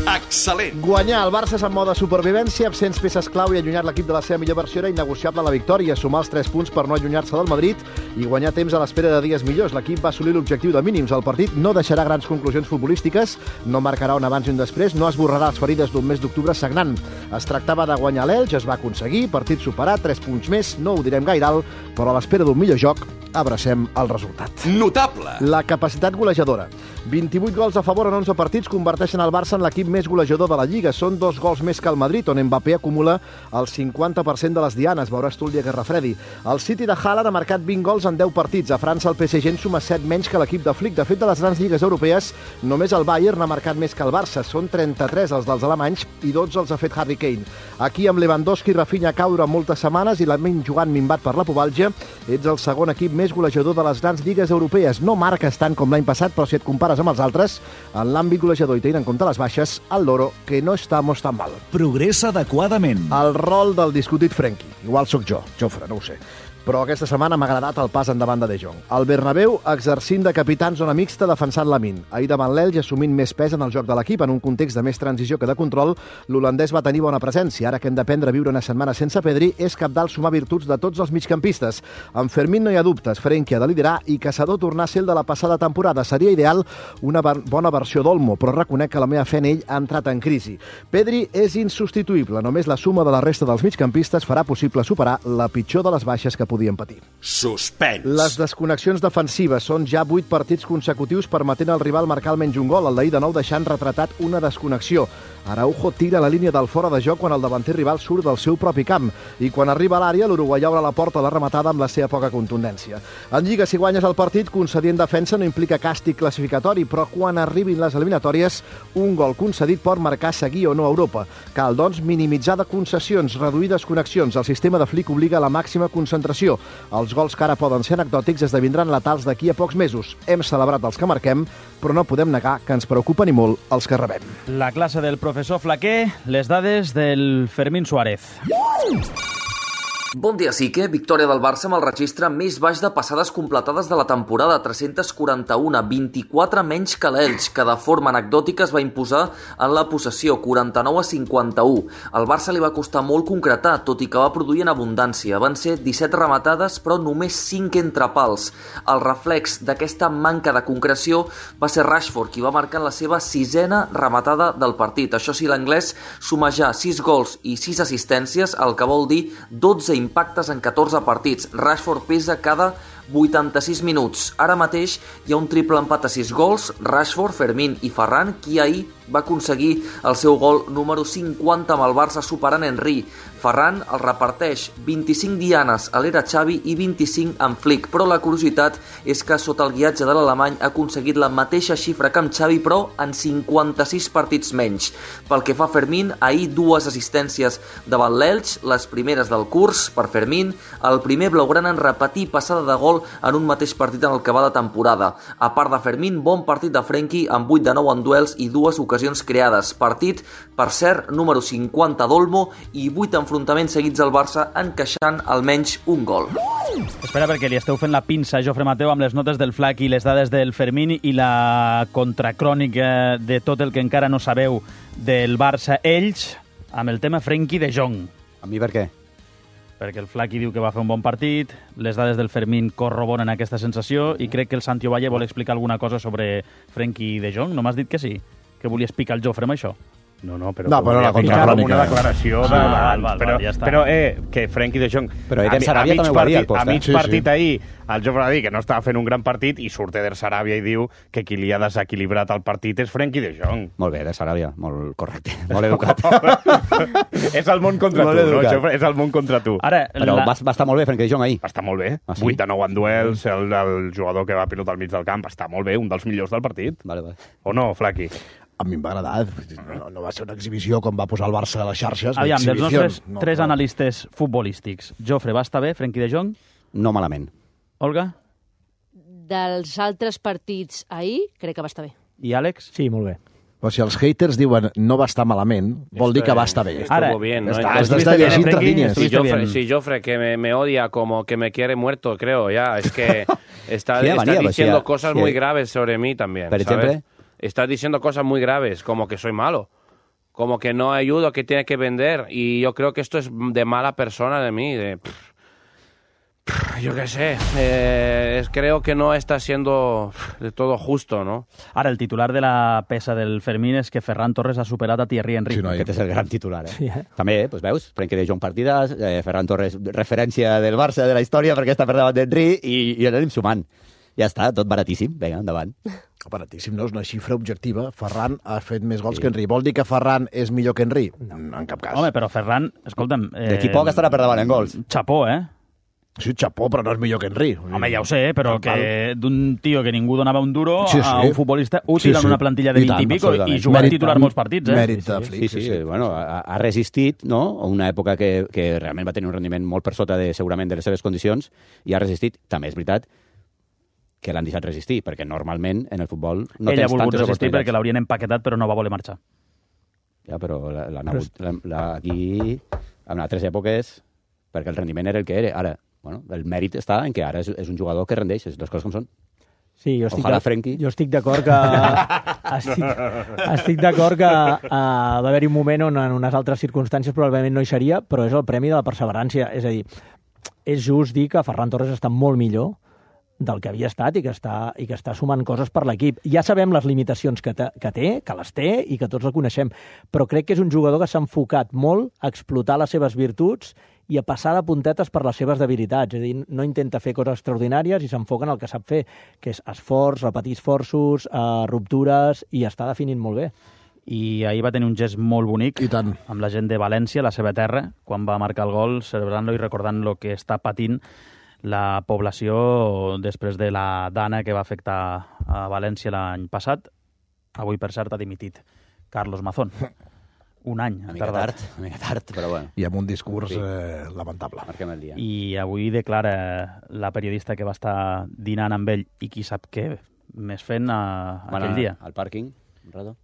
Excel·lent. Guanyar el Barça és en mode supervivència, absents peces clau i allunyat l'equip de la seva millor versió era innegociable la victòria, sumar els 3 punts per no allunyar-se del Madrid i guanyar temps a l'espera de dies millors. L'equip va assolir l'objectiu de mínims. El partit no deixarà grans conclusions futbolístiques, no marcarà un abans i un després, no esborrarà les ferides d'un mes d'octubre sagnant. Es tractava de guanyar l'Elx, es va aconseguir, partit superat, 3 punts més, no ho direm gaire alt, però a l'espera d'un millor joc abracem el resultat. Notable. La capacitat golejadora. 28 gols a favor en 11 partits converteixen el Barça en l'equip més golejador de la Lliga. Són 2 gols més que el Madrid, on Mbappé acumula el 50% de les dianes. Veuràs tu el dia que refredi. El City de Haaland ha marcat 20 gols en 10 partits. A França el PSG en suma 7 menys que l'equip de Flick. De fet, de les grans lligues europees, només el Bayern ha marcat més que el Barça. Són 33 els dels alemanys i 12 els ha fet Harry Kane. Aquí amb Lewandowski i Rafinha cau durant moltes setmanes i l'Amin jugant minvat per la pubalgia, ets el segon equip més golejador de les grans lligues europees. No marques tant com l'any passat, però si et compares amb els altres, en l'àmbit golejador i tenint en compte les baixes, el Loro, que no estamos tan mal. Progressa adequadament. El rol del discutit Frenkie. Igual sóc jo, Jofre, no ho sé. Però aquesta setmana m'ha agradat el pas endavant de De Jong. El Bernabéu exercint de capità en zona mixta defensant Lamine. Ahir davant l'Elx assumint més pes en el joc de l'equip, en un context de més transició que de control, l'holandès va tenir bona presència. Ara que hem d'aprendre a viure una setmana sense Pedri, és cabdal sumar virtuts de tots els migcampistes. Amb Fermín no hi ha dubtes, Frenkie ha de liderar i Caçador tornar a ser el de la passada temporada. Seria ideal una bona versió d'Olmo, però reconec que la meva fe en ell ha entrat en crisi. Pedri és insubstituïble. Només la suma de la resta dels migcampistes farà possible superar la pitjor de les baixes que podien patir. Suspens. Les desconnexions defensives són ja 8 partits consecutius permetent al rival marcar almenys un gol. El d'ahir de nou deixant retratat una desconnexió. Araujo tira la línia del fora de joc quan el davanter rival surt del seu propi camp i quan arriba a l'àrea l'uruguaià obre la porta a la rematada amb la seva poca contundència. En Lliga, si guanyes el partit, concedir en defensa no implica càstig classificatori, però quan arribin les eliminatòries, un gol concedit pot marcar seguir o no a Europa. Cal, doncs, minimitzar de concessions, reduir desconnexions. El sistema de Flick obliga a la màxima concentració. Els gols que ara poden ser anecdòtics esdevindran letals d'aquí a pocs mesos. Hem celebrat els que marquem, però no podem negar que ens preocupen i molt els que rebem. La classe del professor Flaquer, les dades del Fermín Suárez. Bon dia, Sique. Victòria del Barça amb el registre més baix de passades completades de la temporada, 341, 24 menys que l'Elx, que de forma anecdòtica es va imposar en la possessió, 49-51. Al Barça li va costar molt concretar, tot i que va produir en abundància. Van ser 17 rematades, però només 5 entre pals. El reflex d'aquesta manca de concreció va ser Rashford, qui va marcar la seva 6ena rematada del partit. Això sí, l'anglès suma ja 6 gols i 6 assistències, el que vol dir 12 impactes en 14 partits. Rashford pesa cada 86 minuts. Ara mateix hi ha un triple empat a 6 gols, Rashford, Fermín i Ferran, qui ahir va aconseguir el seu gol número 50 amb el Barça superant Henry. Ferran el reparteix 25 dianes a l'era Xavi i 25 amb Flick, però la curiositat és que sota el guiatge de l'alemany ha aconseguit la mateixa xifra que amb Xavi, però en 56 partits menys. Pel que fa a Fermín, ahir 2 assistències davant l'Elx, les primeres del curs per Fermín, el primer blaugrana en repetir passada de gol en un mateix partit en el que va la temporada. A part de Fermín, bon partit de Frenkie amb 8 de 9 en duels i 2 ocasions creades. Partit, per cert, número 50 d'Olmo i 8 enfrontaments seguits al Barça encaixant almenys un gol. Espera, perquè li esteu fent la pinça, Jofre Mateu, amb les notes del Flac i les dades del Fermín i la contracrònica de tot el que encara no sabeu del Barça-Elx amb el tema Frenkie de Jong. A mi per què? Perquè el Flaqui diu que va fer un bon partit, les dades del Fermín corroboren aquesta sensació i crec que el Santi Ovalle vol explicar alguna cosa sobre Frenkie de Jong. No m'has dit que sí? Que volies picar el Jofre amb això? No, però la contracrònica. Una declaració ja està. Però que Frenkie de Jong... Però Eder Sarabia també ho va dir al post. A mig partit ahir, el Jofre va dir que no estava fent un gran partit i surt Eder Sarabia i diu que qui li ha desequilibrat el partit és Frenkie de Jong. Molt bé, Eder Sarabia, molt correcte, molt educat. És el món contra tu, no, Jofre? És el món contra tu. Però va estar molt bé Frenkie de Jong ahir. Va estar molt bé. 8 de 9 en duels, el jugador que va pilotar al mig del camp, està molt bé, un dels millors del partit. Vale. O no, Flaqui? A mi em va agradar. No va ser una exhibició com va posar el Barça a les xarxes. Aviam, dels nostres tres analistes futbolístics, Jofre, va estar bé, Frenkie de Jong? No malament. Olga? Dels altres partits ahir, crec que va estar bé. I Àlex? Sí, molt bé. Però si els haters diuen no va estar malament, vol dir que va estar bé. Estuvo bien, ¿no? Has d'estar llegint entre línies. Si Jofre, que me odia como que me quiere muerto, creo, ya. Es que está diciendo cosas muy graves sobre mí también, ¿Por ejemplo? Estás diciendo cosas muy graves, como que soy malo, como que no ayudo, que tiene que vender. Y yo creo que esto es de mala persona de mí, yo qué sé, creo que no está siendo de todo justo, ¿no? Ara, el titular de la peça del Fermín és que Ferran Torres ha superat a Thierry Henry. Sí, no, aquest és el gran titular, eh? Sí, També, doncs veus, Frenkie de Jong partides, Ferran Torres referència del Barça, de la història, perquè està per davant d'Henry, i anem sumant. Ja està, tot baratíssim. Vinga, endavant. Baratíssim, no? És una xifra objectiva. Ferran ha fet més gols que Henry. Vol dir que Ferran és millor que Henry? No, en cap cas. Home, però Ferran, escolta'm... D'aquí poc estarà per davant en gols. Chapó, eh? Sí, chapó, però no és millor que Henry. Home, ja ho sé, però que d'un tio que ningú donava un duro a un futbolista útil en una plantilla de 20 i pico i jugant titular molts partits, eh? Mèrit de Flick. Sí. Bueno, ha resistit, no? Una època que realment va tenir un rendiment molt per sota segurament de les seves condicions i ha resistit. També és veritat que l'han deixat resistir, perquè normalment en el futbol no tens tantes oportunitats. Ell ha volgut resistir perquè l'haurien empaquetat, però no va voler marxar. Ja, però aquí, en altres èpoques, perquè el rendiment era el que era. Ara, bueno, el mèrit està en que ara és un jugador que rendeix, les coses com són. Sí, jo estic d'acord que... estic d'acord que va haver-hi un moment on en unes altres circumstàncies probablement no hi seria, però és el premi de la perseverància. És a dir, és just dir que Ferran Torres està molt millor del que havia estat i que està sumant coses per l'equip. Ja sabem les limitacions que té, que les té i que tots la coneixem, però crec que és un jugador que s'ha enfocat molt a explotar les seves virtuts i a passar de puntetes per les seves debilitats. És a dir, no intenta fer coses extraordinàries i s'enfoca en el que sap fer, que és esforç, repetir esforços, ruptures, i està definint molt bé. I ahir va tenir un gest molt bonic amb la gent de València, la seva terra, quan va marcar el gol, celebrant-lo i recordant el que està patint la població després de la dana que va afectar a València l'any passat. Avui, per cert, ha dimitit Carlos Mazón. Un any. Una mica tard, però bueno. I amb un discurs lamentable. Marquem el dia. I avui declara la periodista que va estar dinant amb ell i qui sap què més fent aquell dia. Al pàrquing, un rato.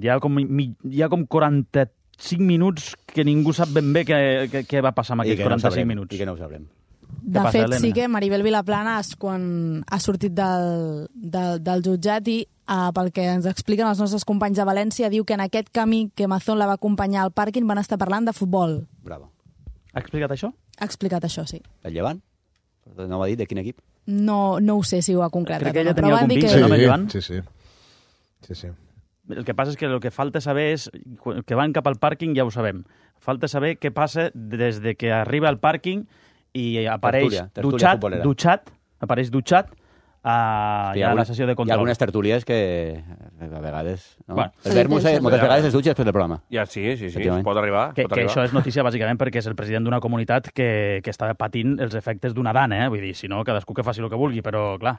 Hi ha com 45 minuts que ningú sap ben bé què va passar amb aquests 45 minuts. I que no ho sabrem. De fet, sí que Maribel Vilaplana, quan ha sortit del jutjat i pel que ens expliquen els nostres companys de València, diu que en aquest camí que Mazón la va acompanyar al pàrquing van estar parlant de futbol. Bravo. Ha explicat això? Ha explicat això, sí. El Llevant? No va dir de quin equip? No ho sé si ho ha concretat. Crec que ella tenia algun vincle, no, amb el Llevant? Sí. El que passa és que el que falta saber és que van cap al pàrquing, ja ho sabem. Falta saber què passa des de que arriba al pàrquing i apareix dutxat a la sessió de control. Hi ha algunes tertúlies que a vegades... No? Bueno, el Vermus moltes vegades es dutxa després del programa. Ja, sí, pot arribar. Que això és notícia bàsicament perquè és el president d'una comunitat que està patint els efectes d'una dana, vull dir, si no, cadascú que faci el que vulgui, però, clar,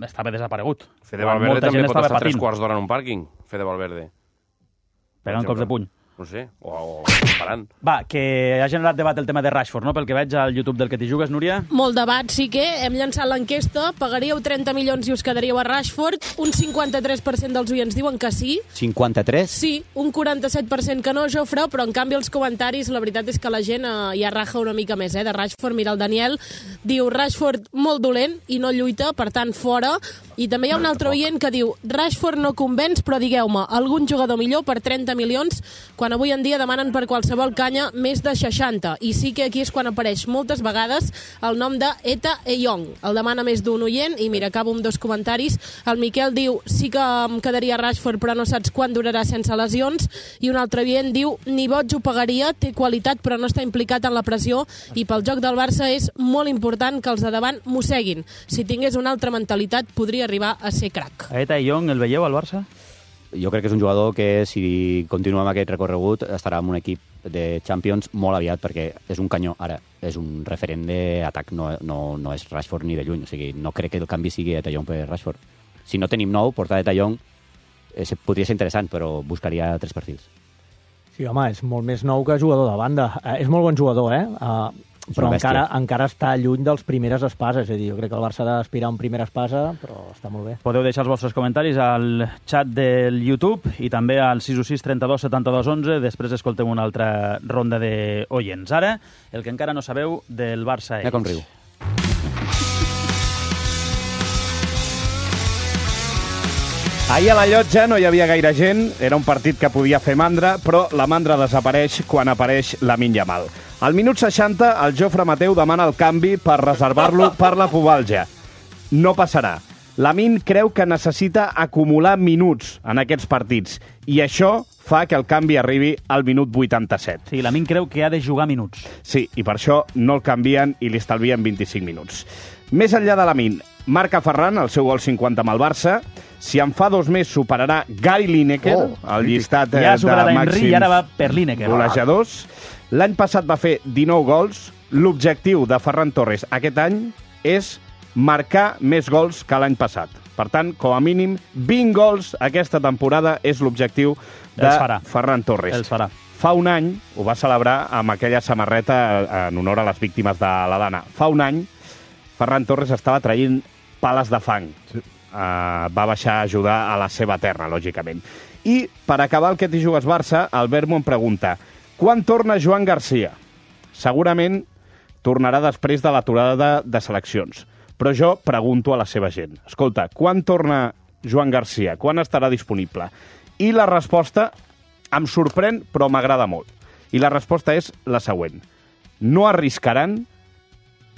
estava desaparegut. Fede Valverde també pot estar 3 quarts d'hora en un pàrquing, Fede Valverde. Pegant cops de puny. No sé, o parant. Va, que ha generat debat el tema de Rashford, no? Pel que veig al YouTube del Que t'hi jugues, Núria. Molt debat, sí que hem llançat l'enquesta. Pagaríeu 30 milions i us quedaríeu a Rashford. Un 53% dels oients diuen que sí. 53? Sí, un 47% que no, Jofre, però en canvi els comentaris, la veritat és que la gent ja raja una mica més, de Rashford. Mira, el Daniel diu Rashford molt dolent i no lluita, per tant, fora. I també hi ha un altre oient que diu Rashford no convenç, però digueu-me, algun jugador millor per 30 milions, quan avui en dia demanen per qualsevol canya més de 60. I sí que aquí és quan apareix moltes vegades el nom de Eta Eyong. El demana més d'un oient, i mira, acabo amb 2 comentaris. El Miquel diu, sí que em quedaria Rashford, però no saps quan durarà sense lesions. I un altre oient diu, ni boig ho pagaria, té qualitat, però no està implicat en la pressió, i pel joc del Barça és molt important que els de davant mosseguin. Si tingués una altra mentalitat, podria arribar a ser crac. Eta Eyong, el veieu al Barça? Jo crec que és un jugador que, si continua amb aquest recorregut, estarà en un equip de Champions molt aviat, perquè és un canyó. Ara, és un referent d'atac, no és Rashford ni de lluny. O sigui, no crec que el canvi sigui De Jong per Rashford. Si no tenim nou, portar De Jong podria ser interessant, però buscaria 3 perfils. Sí, home, és molt més nou que jugador de banda. És molt bon jugador, però encara està lluny dels primeres espases. És a dir, jo crec que el Barça ha d'aspirar a un primera espasa, però està molt bé. Podeu deixar els vostres comentaris al xat del YouTube i també al 616 32 72 11. Després escoltem una altra ronda d'oients. Ara, el que encara no sabeu del Barça és... Mira com riu. Ahir a la Llotja no hi havia gaire gent, era un partit que podia fer mandra, però la mandra desapareix quan apareix Lamine Yamal. Al minut 60, el Jofre Mateu demana el canvi per reservar-lo per la pubalgia. No passarà. Lamine creu que necessita acumular minuts en aquests partits, i això fa que el canvi arribi al minut 87. Sí, Lamine creu que ha de jugar minuts. Sí, i per això no el canvien i li estalvien 25 minuts. Més enllà de Lamine, marca Ferran el seu gol 50 amb el Barça. Si en fa 2 mesos superarà Gary Lineker, el llistat de màxims i ara va per Lineker. Golejadors. L'any passat va fer 19 gols. L'objectiu de Ferran Torres aquest any és marcar més gols que l'any passat. Per tant, com a mínim, 20 gols aquesta temporada és l'objectiu de Ferran Torres. Els farà. Fa un any ho va celebrar amb aquella samarreta en honor a les víctimes de la dana. Fa un any, Ferran Torres estava traient pales de fang. Sí. Va baixar a ajudar a la seva terra, lògicament. I, per acabar el Que t'hi jugues Barça, el Vermo em pregunta: quan torna Joan Garcia? Segurament tornarà després de l'aturada de seleccions. Però jo pregunto a la seva gent: escolta, quan torna Joan Garcia? Quan estarà disponible? I la resposta em sorprèn, però m'agrada molt. I la resposta és la següent: no arriscaran,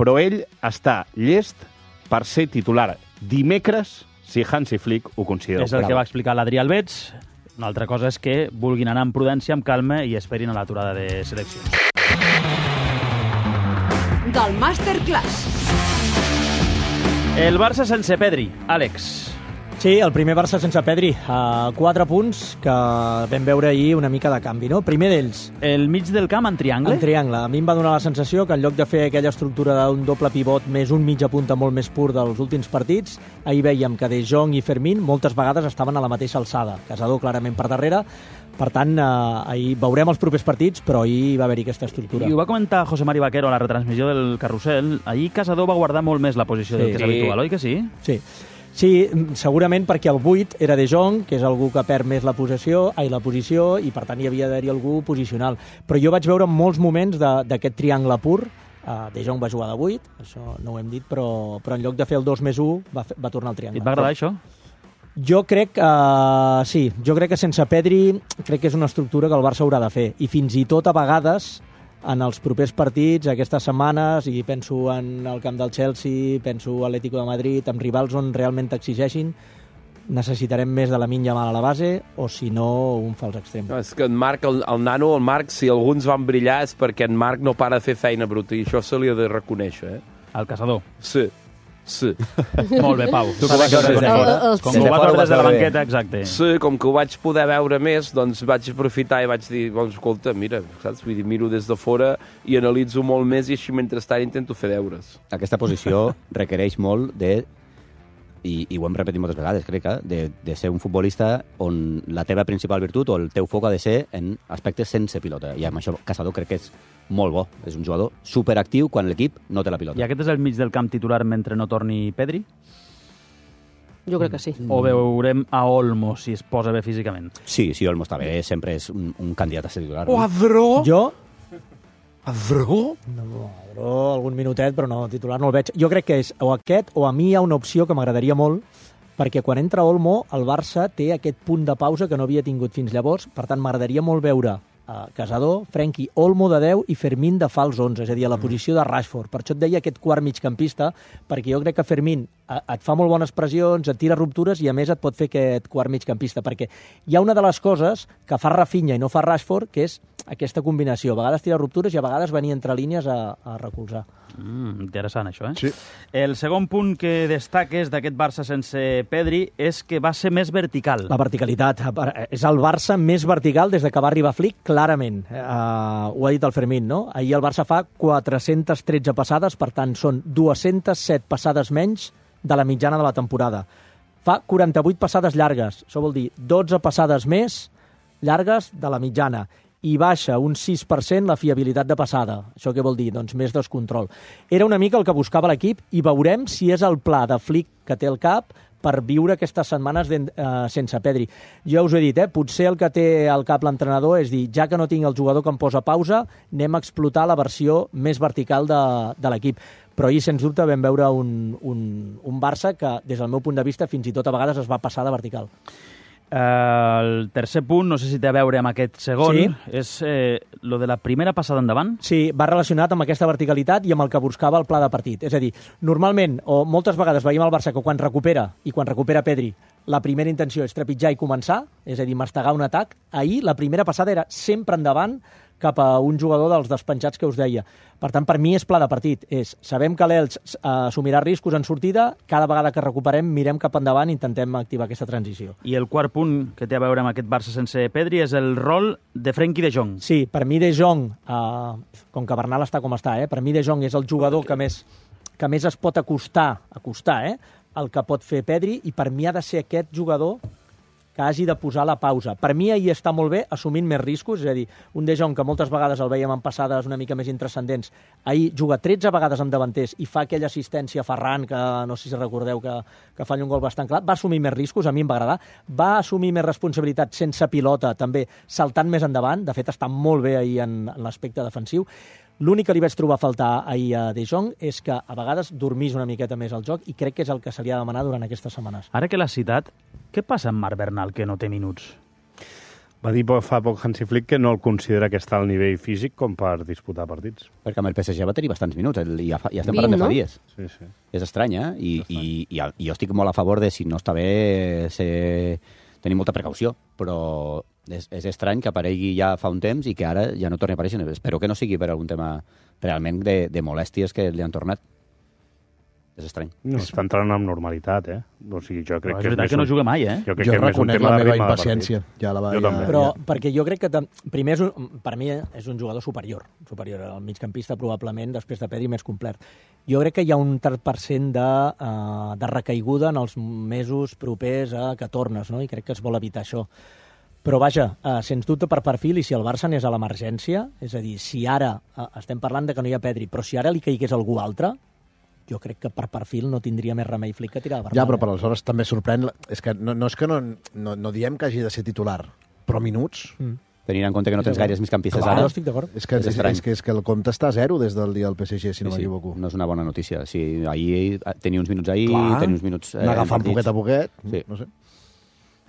però ell està llest per ser titular dimecres si Hansi Flick ho considera. És el que va explicar l'Adrià Albets. Una altra cosa és que vulguin anar amb prudència, amb calma i esperin a l'aturada de seleccions. Del Masterclass. El Barça sense Pedri. Àlex. Sí, el primer Barça sense Pedri. 4 punts que vam veure ahir una mica de canvi, no? Primer d'ells. El mig del camp en triangle? En triangle. A mi em va donar la sensació que en lloc de fer aquella estructura d'un doble pivot més un mitja punta molt més pur dels últims partits, ahir veiem que De Jong i Fermín moltes vegades estaven a la mateixa alçada. Casador clarament per darrere. Per tant, ahir veurem els propers partits, però ahir va haver-hi aquesta estructura. I ho va comentar José Mari Vaquero a la retransmissió del Carrusel. Ahir Casador va guardar molt més la posició del que és habitual, oi que sí? Sí. Sí, segurament perquè el 8 era De Jong, que és algú que perd més la posició, i per tant hi havia d'haver-hi algú posicional. Però jo vaig veure molts moments d'aquest triangle pur. De Jong va jugar de 8, això no ho hem dit, però en lloc de fer el 2+1 va tornar al triangle. I et va agradar això? Jo crec que sí, jo crec que sense Pedri crec que és una estructura que el Barça haurà de fer. I fins i tot a vegades en els propers partits, aquestes setmanes, i penso en el camp del Chelsea, penso a l'Atlético de Madrid, amb rivals on realment t'exigeixin, necessitarem més de Lamine Yamal a la base, o si no, un fals extrem. No, és que en Marc, el nano, el Marc, si alguns van brillar és perquè en Marc no para de fer feina bruta, i això se li ha de reconèixer, El Casador. Sí. Molt bé, Pau. Tu que ho vas veure des de fora. Com que ho vas veure des de la banqueta, exacte. Sí, com que ho vaig poder veure més, doncs vaig aprofitar i vaig dir, escolta, mira, saps? Vull dir, miro des de fora i analitzo molt més i així mentrestant intento fer deures. Aquesta posició requereix molt de, i ho hem repetit moltes vegades, crec, de ser un futbolista on la teva principal virtut o el teu foc ha de ser en aspectes sense pilota. I amb això Casador crec que és molt bo. És un jugador superactiu quan l'equip no té la pilota. I aquest és el mig del camp titular mentre no torni Pedri? Jo crec que sí. O veurem a Olmo si es posa bé físicament? Sí, Olmo està bé, sempre és un candidat a ser titular. O Adró? Jo? Adró? No, Adró algun minutet, però no, titular no el veig. Jo crec que és o aquest o a mi hi ha una opció que m'agradaria molt, perquè quan entra Olmo, el Barça té aquest punt de pausa que no havia tingut fins llavors, per tant m'agradaria molt veure Casador, Frenkie, Olmo de 10 i Fermín de fals 11, és a dir, a la posició de Rashford. Per això et deia aquest quart migcampista, perquè jo crec que Fermín et fa molt bones pressions, et tira ruptures i a més et pot fer aquest quart migcampista, perquè hi ha una de les coses que fa Rafinha i no fa Rashford, que és aquesta combinació. A vegades tira ruptures i a vegades venir entre línies a recolzar. Interessant, això, Sí. El segon punt que destaques d'aquest Barça sense Pedri és que va ser més vertical. La verticalitat. És el Barça més vertical des de que va arribar Flick, clarament. Ho ha dit el Fermín, no? Ahir el Barça fa 413 passades, per tant, són 207 passades menys de la mitjana de la temporada. Fa 48 passades llargues, això vol dir 12 passades més llargues de la mitjana, i baixa un 6% la fiabilitat de passada. Això què vol dir? Doncs més descontrol. Era una mica el que buscava l'equip i veurem si és el pla de Flick que té al cap per viure aquestes setmanes sense Pedri. Jo us he dit, potser el que té al cap l'entrenador és dir, ja que no tinc el jugador que em posa pausa, anem a explotar la versió més vertical de l'equip. Però ahir, sens dubte, vam veure un Barça que, des del meu punt de vista, fins i tot a vegades es va passar de vertical. El tercer punt, no sé si té a veure amb aquest segon, és lo de la primera passada endavant. Sí, va relacionat amb aquesta verticalitat i amb el que buscava el pla de partit. És a dir, normalment, o moltes vegades veiem al Barça que quan recupera Pedri, la primera intenció és trepitjar i començar, és a dir, mastegar un atac. Ahir la primera passada era sempre endavant cap a un jugador dels despenjats que us deia. Per tant, per mi és pla de partit. Sabem que l'Elx assumirà riscos en sortida, cada vegada que recuperem mirem cap endavant i intentem activar aquesta transició. I el quart punt que té a veure amb aquest Barça sense Pedri és el rol de Frenkie de Jong. Sí, per mi de Jong, com que Bernal està com està, per mi de Jong és el jugador que més es pot acostar el que pot fer Pedri, i per mi ha de ser aquest jugador que hagi de posar la pausa. Per mi ahir està molt bé assumint més riscos, és a dir, un De Jong que moltes vegades el veiem en passades una mica més intrascendents, ahir juga 13 vegades amb davanters i fa aquella assistència a Ferran, que no sé si recordeu que fa un gol bastant clar, va assumir més riscos, a mi em va agradar, va assumir més responsabilitat sense pilota, també saltant més endavant, de fet està molt bé ahir en l'aspecte defensiu. L'únic que li vaig trobar a faltar ahir a De Jong és que a vegades dormís una miqueta més al joc, i crec que és el que se li ha de demanar durant aquestes setmanes. Ara que l'has citat, què passa amb Marc Bernal, que no té minuts? Va dir fa poc Hansi Flick que no el considera que està al nivell físic com per disputar partits. Perquè amb el PSG va tenir bastants minuts, ja estem parlant de fa dies. Sí, sí. És estrany, I jo estic molt a favor de, si no està bé, tenir molta precaució, però és estrany que aparegui ja fa un temps i que ara ja no torni a aparèixer. Espero que no sigui per algun tema realment de molèsties que li han tornat. És estrany. No, està entrant amb normalitat, O sigui, jo crec que és veritat que no juga mai, Jo reconec la meva impaciència. Però perquè jo crec que, primer, per mi és un jugador superior al migcampista, probablement, després de Pedri, més complet. Jo crec que hi ha un 30% de recaiguda en els mesos propers a que tornes, no? I crec que es vol evitar això. Però vaja, sens dubte per perfil, i si el Barça anés a l'emergència, és a dir, si ara, estem parlant de que no hi ha Pedri, però si ara li caigués algú altre, jo crec que per perfil no tindria més remei Flick que tirar a Bernal. Ja, però per aleshores també sorprèn... És que no diem que hagi de ser titular, però minuts... Tenint en compte que no tens gaires migcampistes ara. No estic d'acord. És que el compte està a 0 des del dia del PSG, si no m'equivoco. No és una bona notícia. Sí, ahir tenia uns minuts tenia uns minuts... N'agafant poquet a poquet, no sé.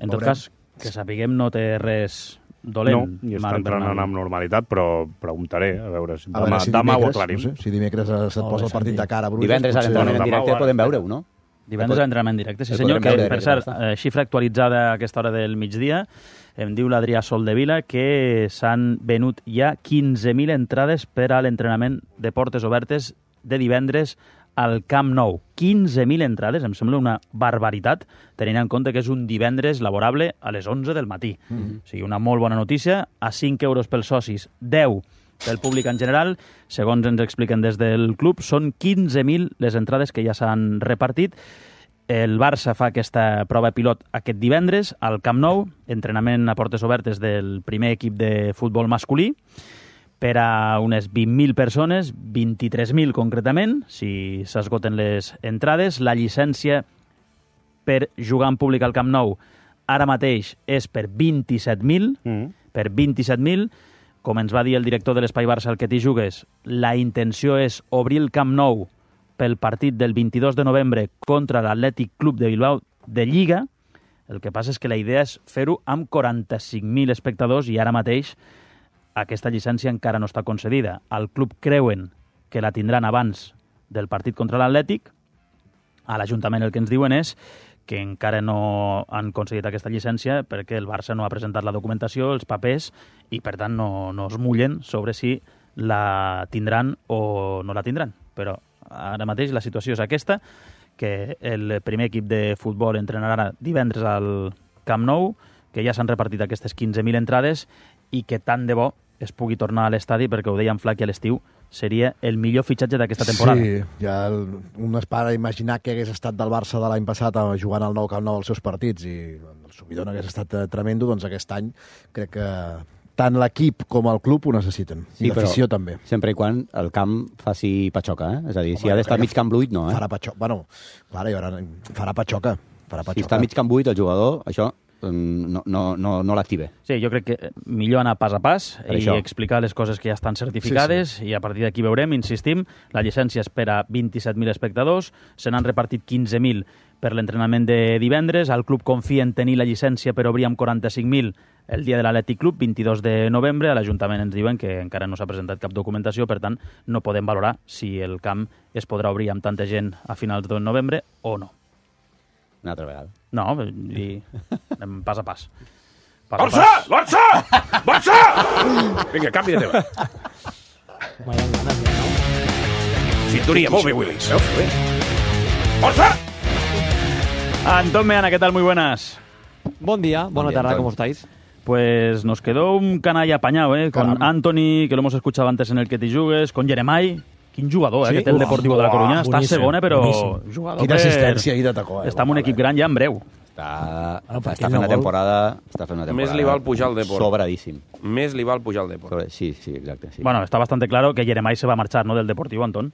En tot cas, que sapiguem no té res dolent. No, i està entrant amb normalitat, però preguntaré, a veure si demà ho aclarim. No sé, si dimecres se't posa el partit de cara a Bruges... Divendres a l'entrenament en directe podem veure-ho, no? Divendres a l'entrenament en directe, sí senyor, que per cert, xifra actualitzada a aquesta hora del migdia, em diu l'Adrià Soldevila que s'han venut ja 15.000 entrades per a l'entrenament de portes obertes de divendres al Camp Nou. 15.000 entrades, em sembla una barbaritat, tenint en compte que és un divendres laborable a les 11 del matí. O sigui, una molt bona notícia, a 5 euros pels socis, 10 pel públic en general. Segons ens expliquen des del club, són 15.000 les entrades que ja s'han repartit. El Barça fa aquesta prova pilot aquest divendres al Camp Nou, entrenament a portes obertes del primer equip de futbol masculí, per a unes 20.000 persones, 23.000 concretament, si s'esgoten les entrades. La llicència per jugar en públic al Camp Nou ara mateix és per 27.000, per 27.000. Com ens va dir el director de l'Espai Barça, el que t'hi jugues, la intenció és obrir el Camp Nou pel partit del 22 de novembre contra l'Atlètic Club de Bilbao de Lliga. El que passa és que la idea és fer-ho amb 45.000 espectadors i ara mateix aquesta llicència encara no està concedida. Al club creuen que la tindran abans del partit contra l'Atlètic. A l'Ajuntament el que ens diuen és que encara no han concedit aquesta llicència perquè el Barça no ha presentat la documentació, els papers, i per tant no es mullen sobre si la tindran o no la tindran. Però ara mateix la situació és aquesta, que el primer equip de futbol entrenarà divendres al Camp Nou, que ja s'han repartit aquestes 15.000 entrades i que tant de bo es pugui tornar a l'estadi, perquè ho deia en Flac i a l'estiu, seria el millor fitxatge d'aquesta temporada. Sí, ja un es para imaginar que hagués estat del Barça de l'any passat jugant al Nou Camp Nou els seus partits i el subidon hagués estat tremendo, doncs aquest any crec que tant l'equip com el club ho necessiten. Sí, i l'afició també. Sempre i quan el camp faci patxoca, És a dir, si ha d'estar mig camp buit, no, Farà patxoca. Bueno, clar, farà patxoca. Si està mig camp buit el jugador, això no l'active. Sí, jo crec que millor anar pas a pas i explicar les coses que ja estan certificades i a partir d'aquí veurem, insistim, la llicència és per a 27.000 espectadors, se n'han repartit 15.000 per l'entrenament de divendres, el club confia en tenir la llicència per obrir amb 45.000 el dia de l'Atlètic Club, 22 de novembre. A l'Ajuntament ens diuen que encara no s'ha presentat cap documentació, per tant no podem valorar si el camp es podrà obrir amb tanta gent a finals de novembre o no. Una altra vegada. No, i anem pas a pas. Barça! Barça! Barça! Vinga, canvi de tema. Sintonia, molt bé, Willis. ¡Barça! Antón Meana, ¿qué tal? Muy buenas. Buen día, buena tarde, ¿cómo estáis? Pues nos quedó un canalla apañado, con Anthony, que lo hemos escuchado antes en el que te jugues, con Jeremai. Quin jugador, que té el Deportivo de la Coruña. Està a segona, però jugador... Quina assistència ahir de tacó. Està en un equip gran ja en breu. Està fent una temporada... Més li val pujar al Deport. Sobradíssim. Més li val pujar al Deport. Sí, exacte. Sí. Bueno, está bastante claro que Jeremai se va a marchar, ¿no?, del Deportivo, Antón.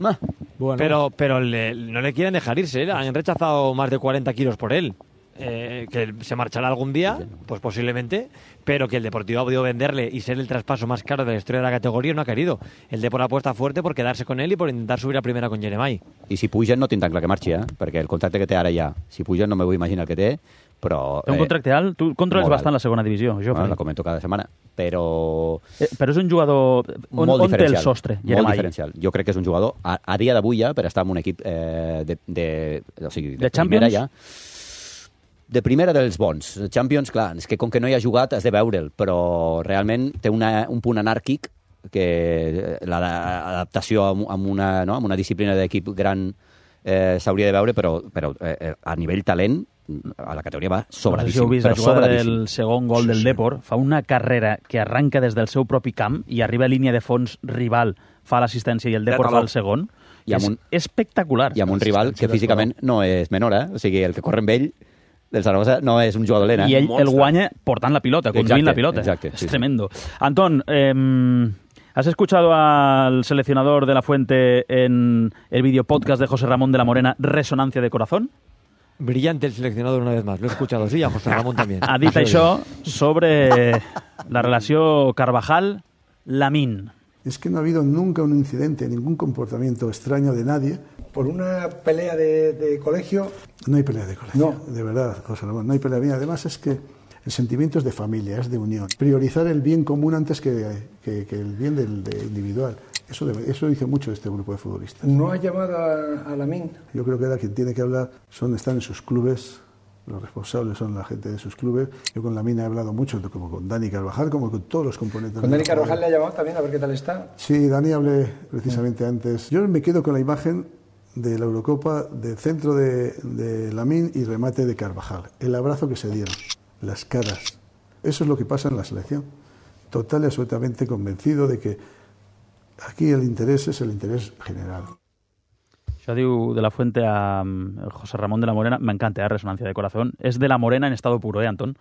Bueno. Pero no le quieren dejar irse, han rechazado más de 40 kilos por él. Que se marchará algún día, pues posiblemente, pero que el Deportivo ha podido venderle y ser el traspaso más caro de la historia de la categoría no ha querido. El Deport apuesta fuerte por quedarse con él y por intentar subir a primera con Jeremai. I si pugen no tinc tan clar que marxi, perquè el contracte que té ara ja, si pugen no me vull imaginar el que té, però... Té un contracte alt? Tu controles bastant la segona divisió, Jofre. La comento cada setmana, però... Però és un jugador... On té el sostre? Molt diferencial. Jo crec que és un jugador, a dia d'avui ja, per estar en un equip de primera ja... De primera dels bons. Champions, clar, és que com que no hi ha jugat has de veure'l, però realment té un punt anàrquic que l'adaptació amb una disciplina d'equip gran s'hauria de veure, però a nivell talent a la categoria va sobradíssim. No sé si heu vist la jugada del segon gol del Depor, fa una carrera que arranca des del seu propi camp i arriba a línia de fons rival, fa l'assistència i el Depor fa el segon. És espectacular. I amb un rival que físicament no és menor, o sigui, el que corre amb ell del Zaragoza no és un jugador dolent. I ell el guanya portant la pilota, conduint la pilota. Exacte, es tremendo. Antón, ¿has escuchado al seleccionador de la Fuente en el videopodcast de José Ramón de la Morena, Resonancia de Corazón? Brillante el seleccionador una vez más, lo he escuchado, sí, a José Ramón también. Ha dit això sobre la relació Carvajal-Lamín. Es que no ha habido nunca un incidente, ningún comportamiento extraño de nadie. Por una pelea de colegio... No hay pelea de colegio, no. De verdad, José Ramón, no hay pelea. Además es que el sentimiento es de familia, es de unión. Priorizar el bien común antes que el bien del individual. Eso dice mucho este grupo de futbolistas. ¿No ha llamado a Lamín? Yo creo que ahora quien tiene que hablar están en sus clubes. Los responsables son la gente de sus clubes. Yo con Lamín he hablado mucho, como con Dani Carvajal, como con todos los componentes. ¿Con Dani Carvajal le ha llamado también a ver qué tal está? Sí, Dani hablé precisamente antes. Yo me quedo con la imagen de la Eurocopa, del centro de Lamín y remate de Carvajal. El abrazo que se dieron, las caras. Eso es lo que pasa en la selección. Total y absolutamente convencido de que aquí el interés es el interés general. Això diu de la Fuente a José Ramón de la Morena. Me encanta, Resonancia de Corazón. Es de la Morena en estado puro, Antón?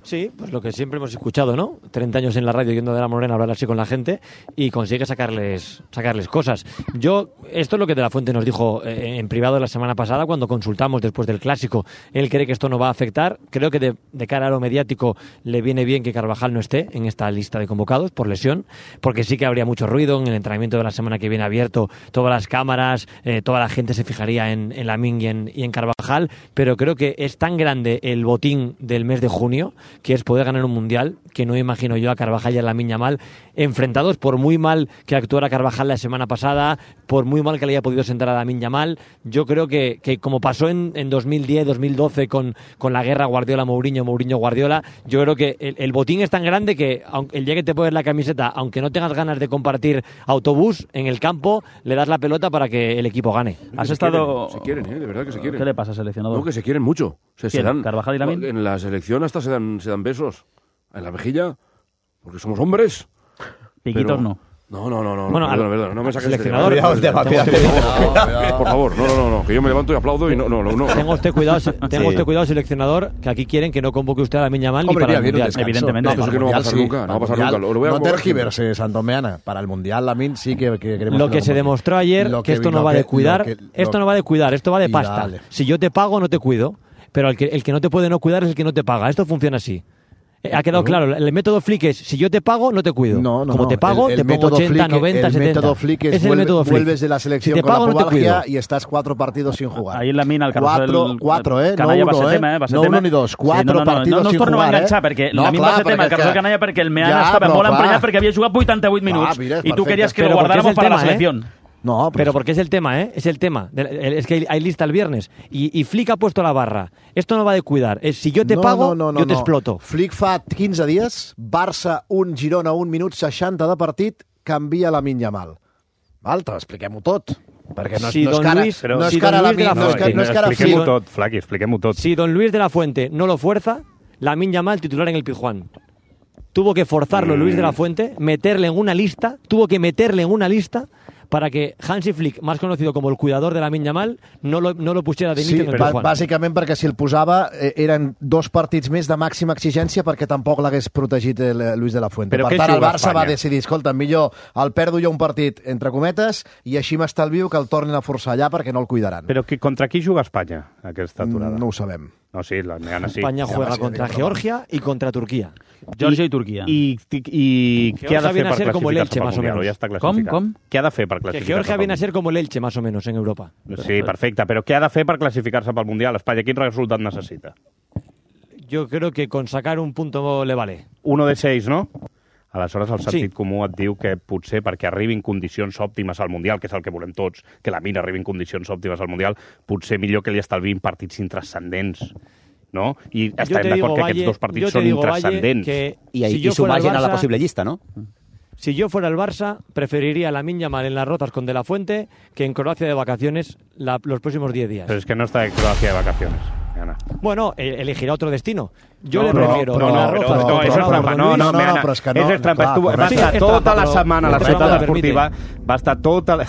Sí, pues lo que siempre hemos escuchado, ¿no? 30 años en la radio yendo de la Morena a hablar así con la gente y consigue sacarles cosas. Esto es lo que de la Fuente nos dijo en privado la semana pasada cuando consultamos después del Clásico. Él cree que esto no va a afectar. Creo que de cara a lo mediático le viene bien que Carvajal no esté en esta lista de convocados por lesión, porque sí que habría mucho ruido en el entrenamiento de la semana que viene abierto, todas las cámaras, toda la gente se fijaría en Lamín y en Carvajal, pero creo que es tan grande el botín del mes de junio que es poder ganar un mundial, que no imagino yo a Carvajal y a Lamín Yamal enfrentados, por muy mal que actuara Carvajal la semana pasada, por muy mal que le haya podido sentar a Lamín Yamal. Yo creo que como pasó en 2010, 2012 con la guerra Guardiola-Mourinho, Mourinho-Guardiola, yo creo que el botín es tan grande que el día que te pones la camiseta, aunque no tengas ganas de compartir autobús, en el campo le das la pelota para que el equipo gane. Has estado... Se quieren, de verdad que se quieren. ¿Qué le pasa, seleccionador? No, que se quieren mucho. Se dan, ¿Carvajal y Lamín? En la selección hasta se dan besos. En la mejilla, porque somos hombres. Piquitos pero... no. No, bueno, perdona, no me saques seleccionador. Por favor, no, que yo me levanto y aplaudo y no. Tenga usted cuidado, seleccionador, que aquí quieren que no convoque usted a Lamín Yamal ni para el Mundial. Evidentemente. No, que no va a pasar nunca, no va a pasar nunca. No tergiverse, Santomeana. Para el Mundial, Lamín sí que queremos... Lo que se demostró ayer, que esto no va de cuidar, esto no va de cuidar, esto va de pasta. Si yo te pago, no te cuido, pero el que no te puede no cuidar es el que no te paga. Esto funciona así. Ha quedado claro, el método Flick es, si yo te pago, no te cuido. Como te pago, te pongo 80, 90, 70. El método Flick es vuelves de la selección si con pago, la pubalgia y estás 4 partidos sin jugar. Ahí en la mina, el Carrusel... 4, Canalla no 1, va ser tema, no 1 ni 2, 4 partidos no sin jugar. No us torno a enganxar, perquè la mina va ser tema, el Carrusel Canalla, perquè el Meana estava molt emprenyat perquè havia jugat 88 minuts i tu querías que lo guardáramos para la selección. No, pero porque es el tema, Es el tema. Es que hay lista el viernes. Y Flick ha puesto la barra. Esto no va de cuidar. Es si yo te pago, yo te exploto. Flick fa 15 dies, Barça 1, Girona 1 minut 60 de partit, canvia Lamín Yamal. Val, expliquem-ho tot. Perquè no és cara Lamín, no és cara Flick. Expliquem-ho tot, Flaqui, expliquem-ho tot. Si Don Luis de la Fuente no lo fuerza, Lamín Yamal titular en el Pizjuán. Tuvo que forzarlo Luis de la Fuente, meterle en una lista para que Hansi Flick, más conocido como el cuidador de Lamín Yamal, no lo pusiera de inicio en el Pizjuán. Bàsicament perquè si el posava eren 2 partits més de màxima exigència perquè tampoc l'hagués protegit Luis de la Fuente. Per tant, el Barça va decidir, escolta, millor el perdo jo un partit, entre cometes, i així m'estalvio que el tornin a forçar allà perquè no el cuidaran. Però contra qui juga Espanya aquesta aturada? No ho sabem. No, sí, la Meana sí. España juega contra Georgia y contra Turquía. Georgia i Turquia. I què ha de fer per classificar-se pel Mundial? Ja està classificat. Com? Què ha de fer per classificar-se? Que Georgia viene a ser como el Elche, más o menos, en Europa. Sí, perfecte, però què ha de fer per classificar-se pel Mundial? Espanya, quin resultat necessita? Yo creo que con sacar un punto le vale. 1 de 6, no? Aleshores, el sentit comú et diu que potser perquè arribin condicions òptimes al Mundial, que és el que volem tots, que la mina arribi en condicions òptimes al Mundial, potser millor que li estalviïn partits intrascendents, no? I estarem d'acord que aquests dos partits són intrascendents. I s'ho vagin a la possible llista, no? Si yo fuera el Barça, preferiría a Lamine Yamal en las rotas con De La Fuente que en Croacia de vacaciones los próximos 10 días. Pero es que no está en Croacia de vacaciones. Bueno, elegirà otro destino. Jo le prefiero No, eso es trampa. No, però és que no. Eso es trampa. Va estar tota la setmana a la ciutat esportiva, va estar tota la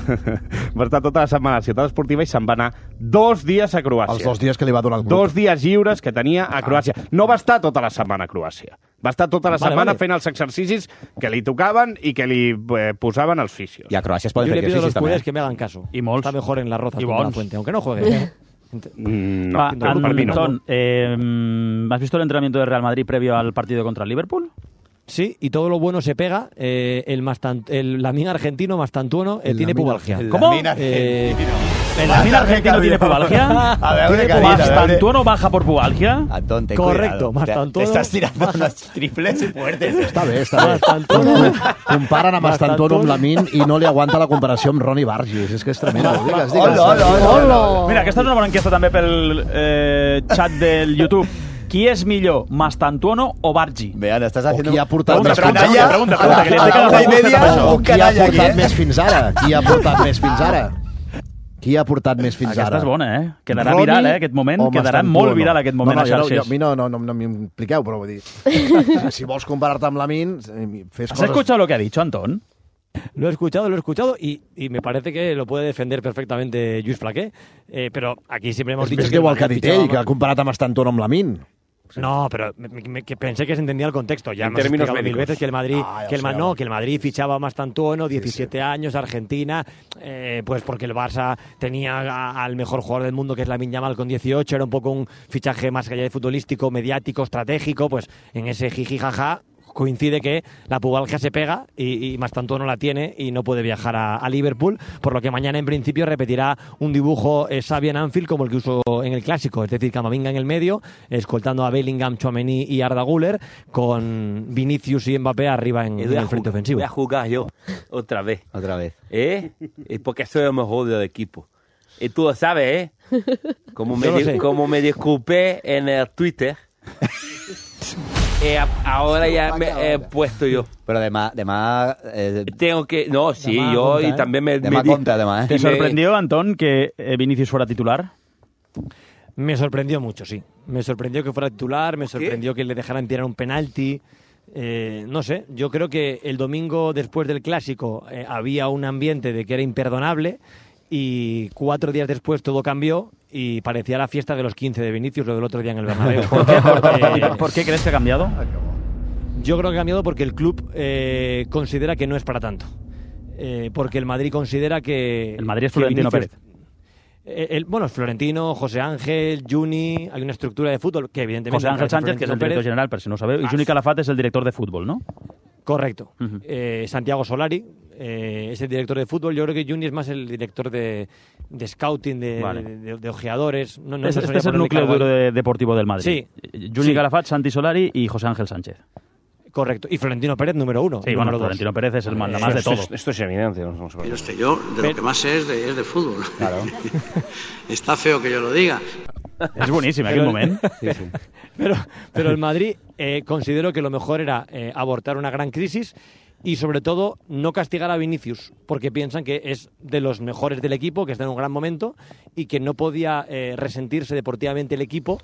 setmana a la ciutat esportiva i se'n va anar 2 dies a Croàcia. Els 2 dies que li va donar el club. 2 dies lliures que tenia a Croàcia. No va estar tota la setmana a Croàcia. Va estar tota la setmana fent els exercicis que li tocaven i que li posaven els fisios. I a Croàcia es poden fer Yo le pido exercicis a los també. culers que me hagan caso. I molts. Está mejor en las rotas con la Fuente, aunque no juegue. No, Antón, ¿has visto el entrenamiento de Real Madrid previo al partido contra el Liverpool? Sí, y todo lo bueno se pega. El Lamine argentino Mastantuono tiene pubalgia. ¿Cómo? ¿El Lamine argentino tiene pubalgia? ¿Mastantuono baja por pubalgia? Antón, ten Correcto, cuidado. Te estás tirando unos triples fuertes. Està bé. Comparen a Mastantuono amb Lamine i no li aguanta la comparació amb Ronnie Burgess. És que és tremendo. Digues. Mira, aquesta és una bona enquesta també pel xat del YouTube. ¿Qui és millor, Mastantuono o Bargi? Vean, estàs haciendo... Qui ha portat més fins ara? Pregunta, que li estic agafant Qui ha portat més fins ara? Qui ha portat més fins ara? Qui ha portat més fins ara? Aquesta és bona, Quedarà viral, aquest moment. Quedarà molt viral aquest moment a xarxes. A mi no m'impliqueu, però vull dir... Si vols comparar-te amb Lamine, fes coses... ¿Has escuchado lo que ha dicho, Antón? Lo he escuchado y me parece que lo puede defender perfectamente Lluís Flaqué, pero aquí siempre hemos dicho... És que igual que ha dit ell, que ha comparat a Mastantuono amb Lamine. No, pero que pensé que se entendía el contexto. Ya hemos explicado mil veces que el Madrid, que el Madrid fichaba a Mastantuono, 17 años, Argentina, pues porque el Barça tenía al mejor jugador del mundo, que es Lamine Yamal, con 18, era un poco un fichaje más allá de futbolístico, mediático, estratégico, pues en ese jiji jaja coincide que la pubalgia se pega y Mastantuono la tiene y no puede viajar a Liverpool, por lo que mañana en principio repetirá un dibujo Xavi en Anfield como el que usó en el Clásico, es decir, Camavinga en el medio, escoltando a Bellingham, Tchouaméni y Arda Güler, con Vinicius y Mbappé arriba en el frente ofensivo. Voy a jugar yo otra vez. Es porque soy el mejor del equipo. Y tú lo sabes, Como me disculpé en el Twitter. Ahora ya me he puesto yo. Pero demà tengo que... No, sí, demà yo compta, y también me... Demà compta, demà, ¿Te sorprendió, Antón, que Vinicius fuera titular? Me sorprendió mucho, sí. Me sorprendió que fuera titular, me sorprendió que le dejaran tirar un penalti. No sé, yo creo que el domingo después del Clásico había un ambiente de que era imperdonable y 4 días después todo cambió y parecía la fiesta de los 15 de Vinicius, lo del otro día en el Bernabéu. ¿Por qué crees que ha cambiado? Yo creo que ha cambiado porque el club considera que no es para tanto. Porque el Madrid considera que... El Madrid es Florentino Pérez. Bueno, es Florentino, José Ángel, Juni, hay una estructura de fútbol que evidentemente... José Ángel Sánchez, que es el director general, pero si no sabeu, y Juni Calafat es el director de fútbol, ¿no? Correcto. Santiago Solari es el director de fútbol. Yo creo que Juni es más el director de scouting, de ojeadores. Este es el núcleo duro deportivo del Madrid. Sí. Juni Calafat, Santi Solari y José Ángel Sánchez. Correcto. Y Florentino Pérez, número 1. Sí, bueno, Florentino Pérez es el manda más de todo. Esto es evidente. Pero yo de lo que más sé es de fútbol. Claro. Está feo que yo lo diga. Es buenísimo aquel momento. Sí. Pero el Madrid considero que lo mejor era abortar una gran crisis y sobre todo no castigar a Vinicius, porque piensan que es de los mejores del equipo, que está en un gran momento y que no podía resentirse deportivamente el equipo,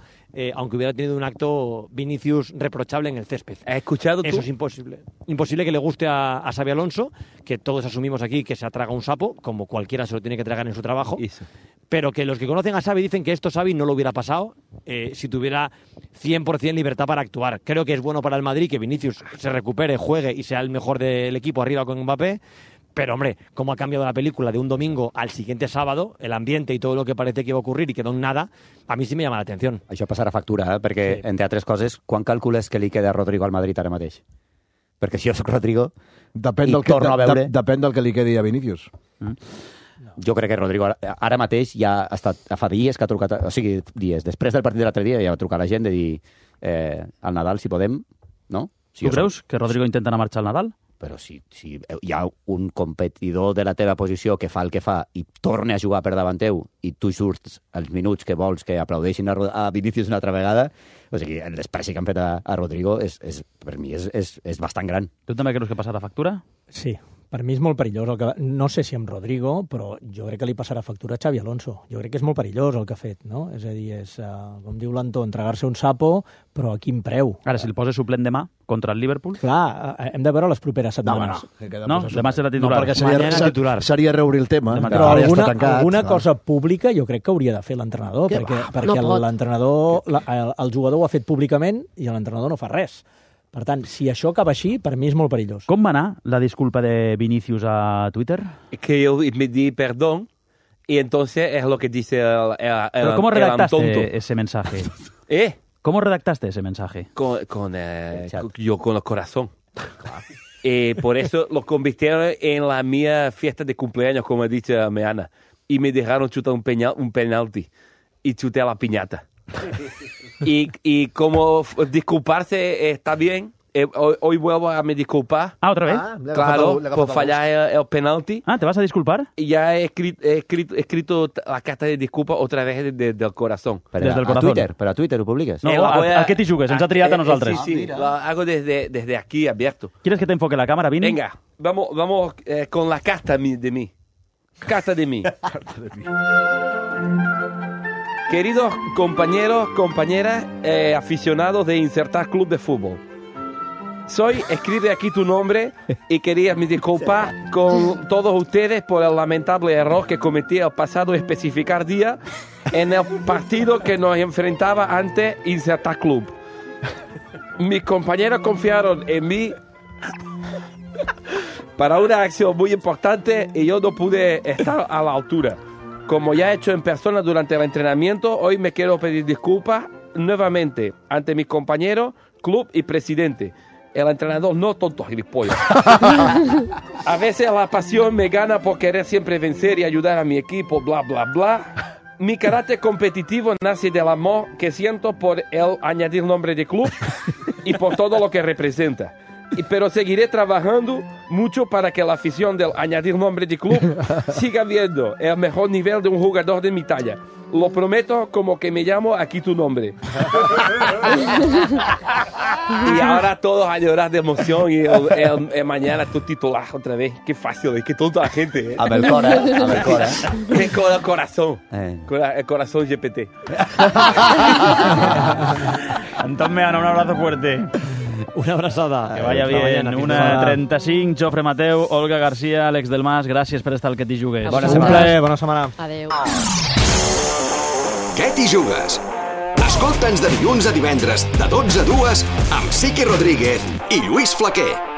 aunque hubiera tenido un acto Vinicius reprochable en el césped. ¿Has escuchado tú? Eso es imposible. Imposible que le guste a Xabi Alonso, que todos asumimos aquí que se traga un sapo, como cualquiera se lo tiene que tragar en su trabajo. Eso. Pero que los que conocen a Xavi dicen que esto Xavi no lo hubiera pasado si tuviera 100% libertad para actuar. Creo que es bueno para el Madrid que Vinicius se recupere, juegue y sea el mejor del equipo arriba con Mbappé, Pero, hombre, cómo ha cambiado la película de un domingo al siguiente sábado, el ambiente y todo lo que parece que iba a ocurrir y quedó en nada, a mí sí me llama la atención. Això passarà factura, perquè, entre altres coses, quan calcules que li queda a Rodrigo al Madrid ara mateix? Perquè si jo soc Rodrigo torno a veure... Depèn del que li quedi a Vinícius. Jo crec que Rodrigo ara mateix ja ha estat, fa dies que ha trucat, o sigui, dies, després del partit de l'altre dia ja va trucar a la gent de dir al Nadal, si podem, no? Tu creus que Rodrigo intenta anar a marxar al Nadal? Però si hi ha un competidor de la teva posició que fa el que fa i torna a jugar per davant teu i tu surts els minuts que vols que aplaudeixin a Vinícius una altra vegada, o sigui, el despreci que han fet a Rodrigo per mi és bastant gran. Tu també creus que passarà factura? Sí. Per mi és molt perillós. No sé si amb Rodrigo, però jo crec que li passarà factura a Xavi Alonso. Jo crec que és molt perillós el que ha fet, no? És a dir, com diu l'Antó, entregar-se un sapo, però a quin preu? Ara, si el posa suplent demà contra el Liverpool... Clar, hem de veure les properes setmanes. No, demà serà titular. No, perquè seria reobrir el tema. Però alguna cosa pública jo crec que hauria de fer l'entrenador, perquè l'entrenador, el jugador ho ha fet públicament i l'entrenador no fa res. Per tant, si això acaba així, per mi és molt perillós. Com va anar la disculpa de Vinícius a Twitter? Que yo me di perdón y entonces es lo que dice el ¿Cómo redactaste tonto. ese mensaje? ¿Eh? ¿Cómo redactaste ese mensaje? Con el corazón. Por eso lo convirtieron en la mía fiesta de cumpleaños, como ha dicho Meana. Y me dejaron chutar un penalti. Y chuté a la piñata. Y como disculparse está bien, hoy vuelvo a me disculpar. ¿Otra vez? Claro, por fallar el penalti. ¿Te vas a disculpar? Y ya he escrito la carta de disculpa otra vez del corazón. Desde el corazón. ¿Pero a Twitter lo publiques? No, ¿a qué te jugues? Ens ha triat a nosaltres. Sí, lo hago desde aquí abierto. ¿Quieres que te enfoque la cámara, Vini? Venga, vamos con la carta de mí. Carta de mí. Queridos compañeros, compañeras, aficionados de Insertar Club de Fútbol. Escribe aquí tu nombre y quería me disculpar con todos ustedes por el lamentable error que cometí el pasado especificar día en el partido que nos enfrentaba ante Insertar Club. Mis compañeros confiaron en mí para una acción muy importante y yo no pude estar a la altura. Como ya he hecho en persona durante el entrenamiento, hoy me quiero pedir disculpas nuevamente ante mis compañeros, club y presidente. El entrenador no tonto, gilipollas. A veces la pasión me gana por querer siempre vencer y ayudar a mi equipo, bla, bla, bla. Mi carácter competitivo nace del amor que siento por el añadir nombre de club y por todo lo que representa. Pero seguiré trabajando mucho para que la afición del añadir nombre de club siga viendo el mejor nivel de un jugador de mi talla. Lo prometo como que me llamo aquí tu nombre. Y ahora todos a llorar de emoción y mañana tu titular otra vez. Qué fácil, qué tonta la gente. ¿Eh? A ver, Cora. Con el corazón. Con el corazón GPT. Antón Meana, un abrazo fuerte. Una abraçada. Que vaya bien. 1:35, Jofre Mateu, Olga García, Àlex del Mas, gràcies per estar al Que t'hi jugues. Bona setmana. Bona setmana. Adéu. Què t'hi jugues? Escolta'ns de dilluns a divendres, de 12 a 2, amb Siqui Rodríguez i Lluís Flaquer.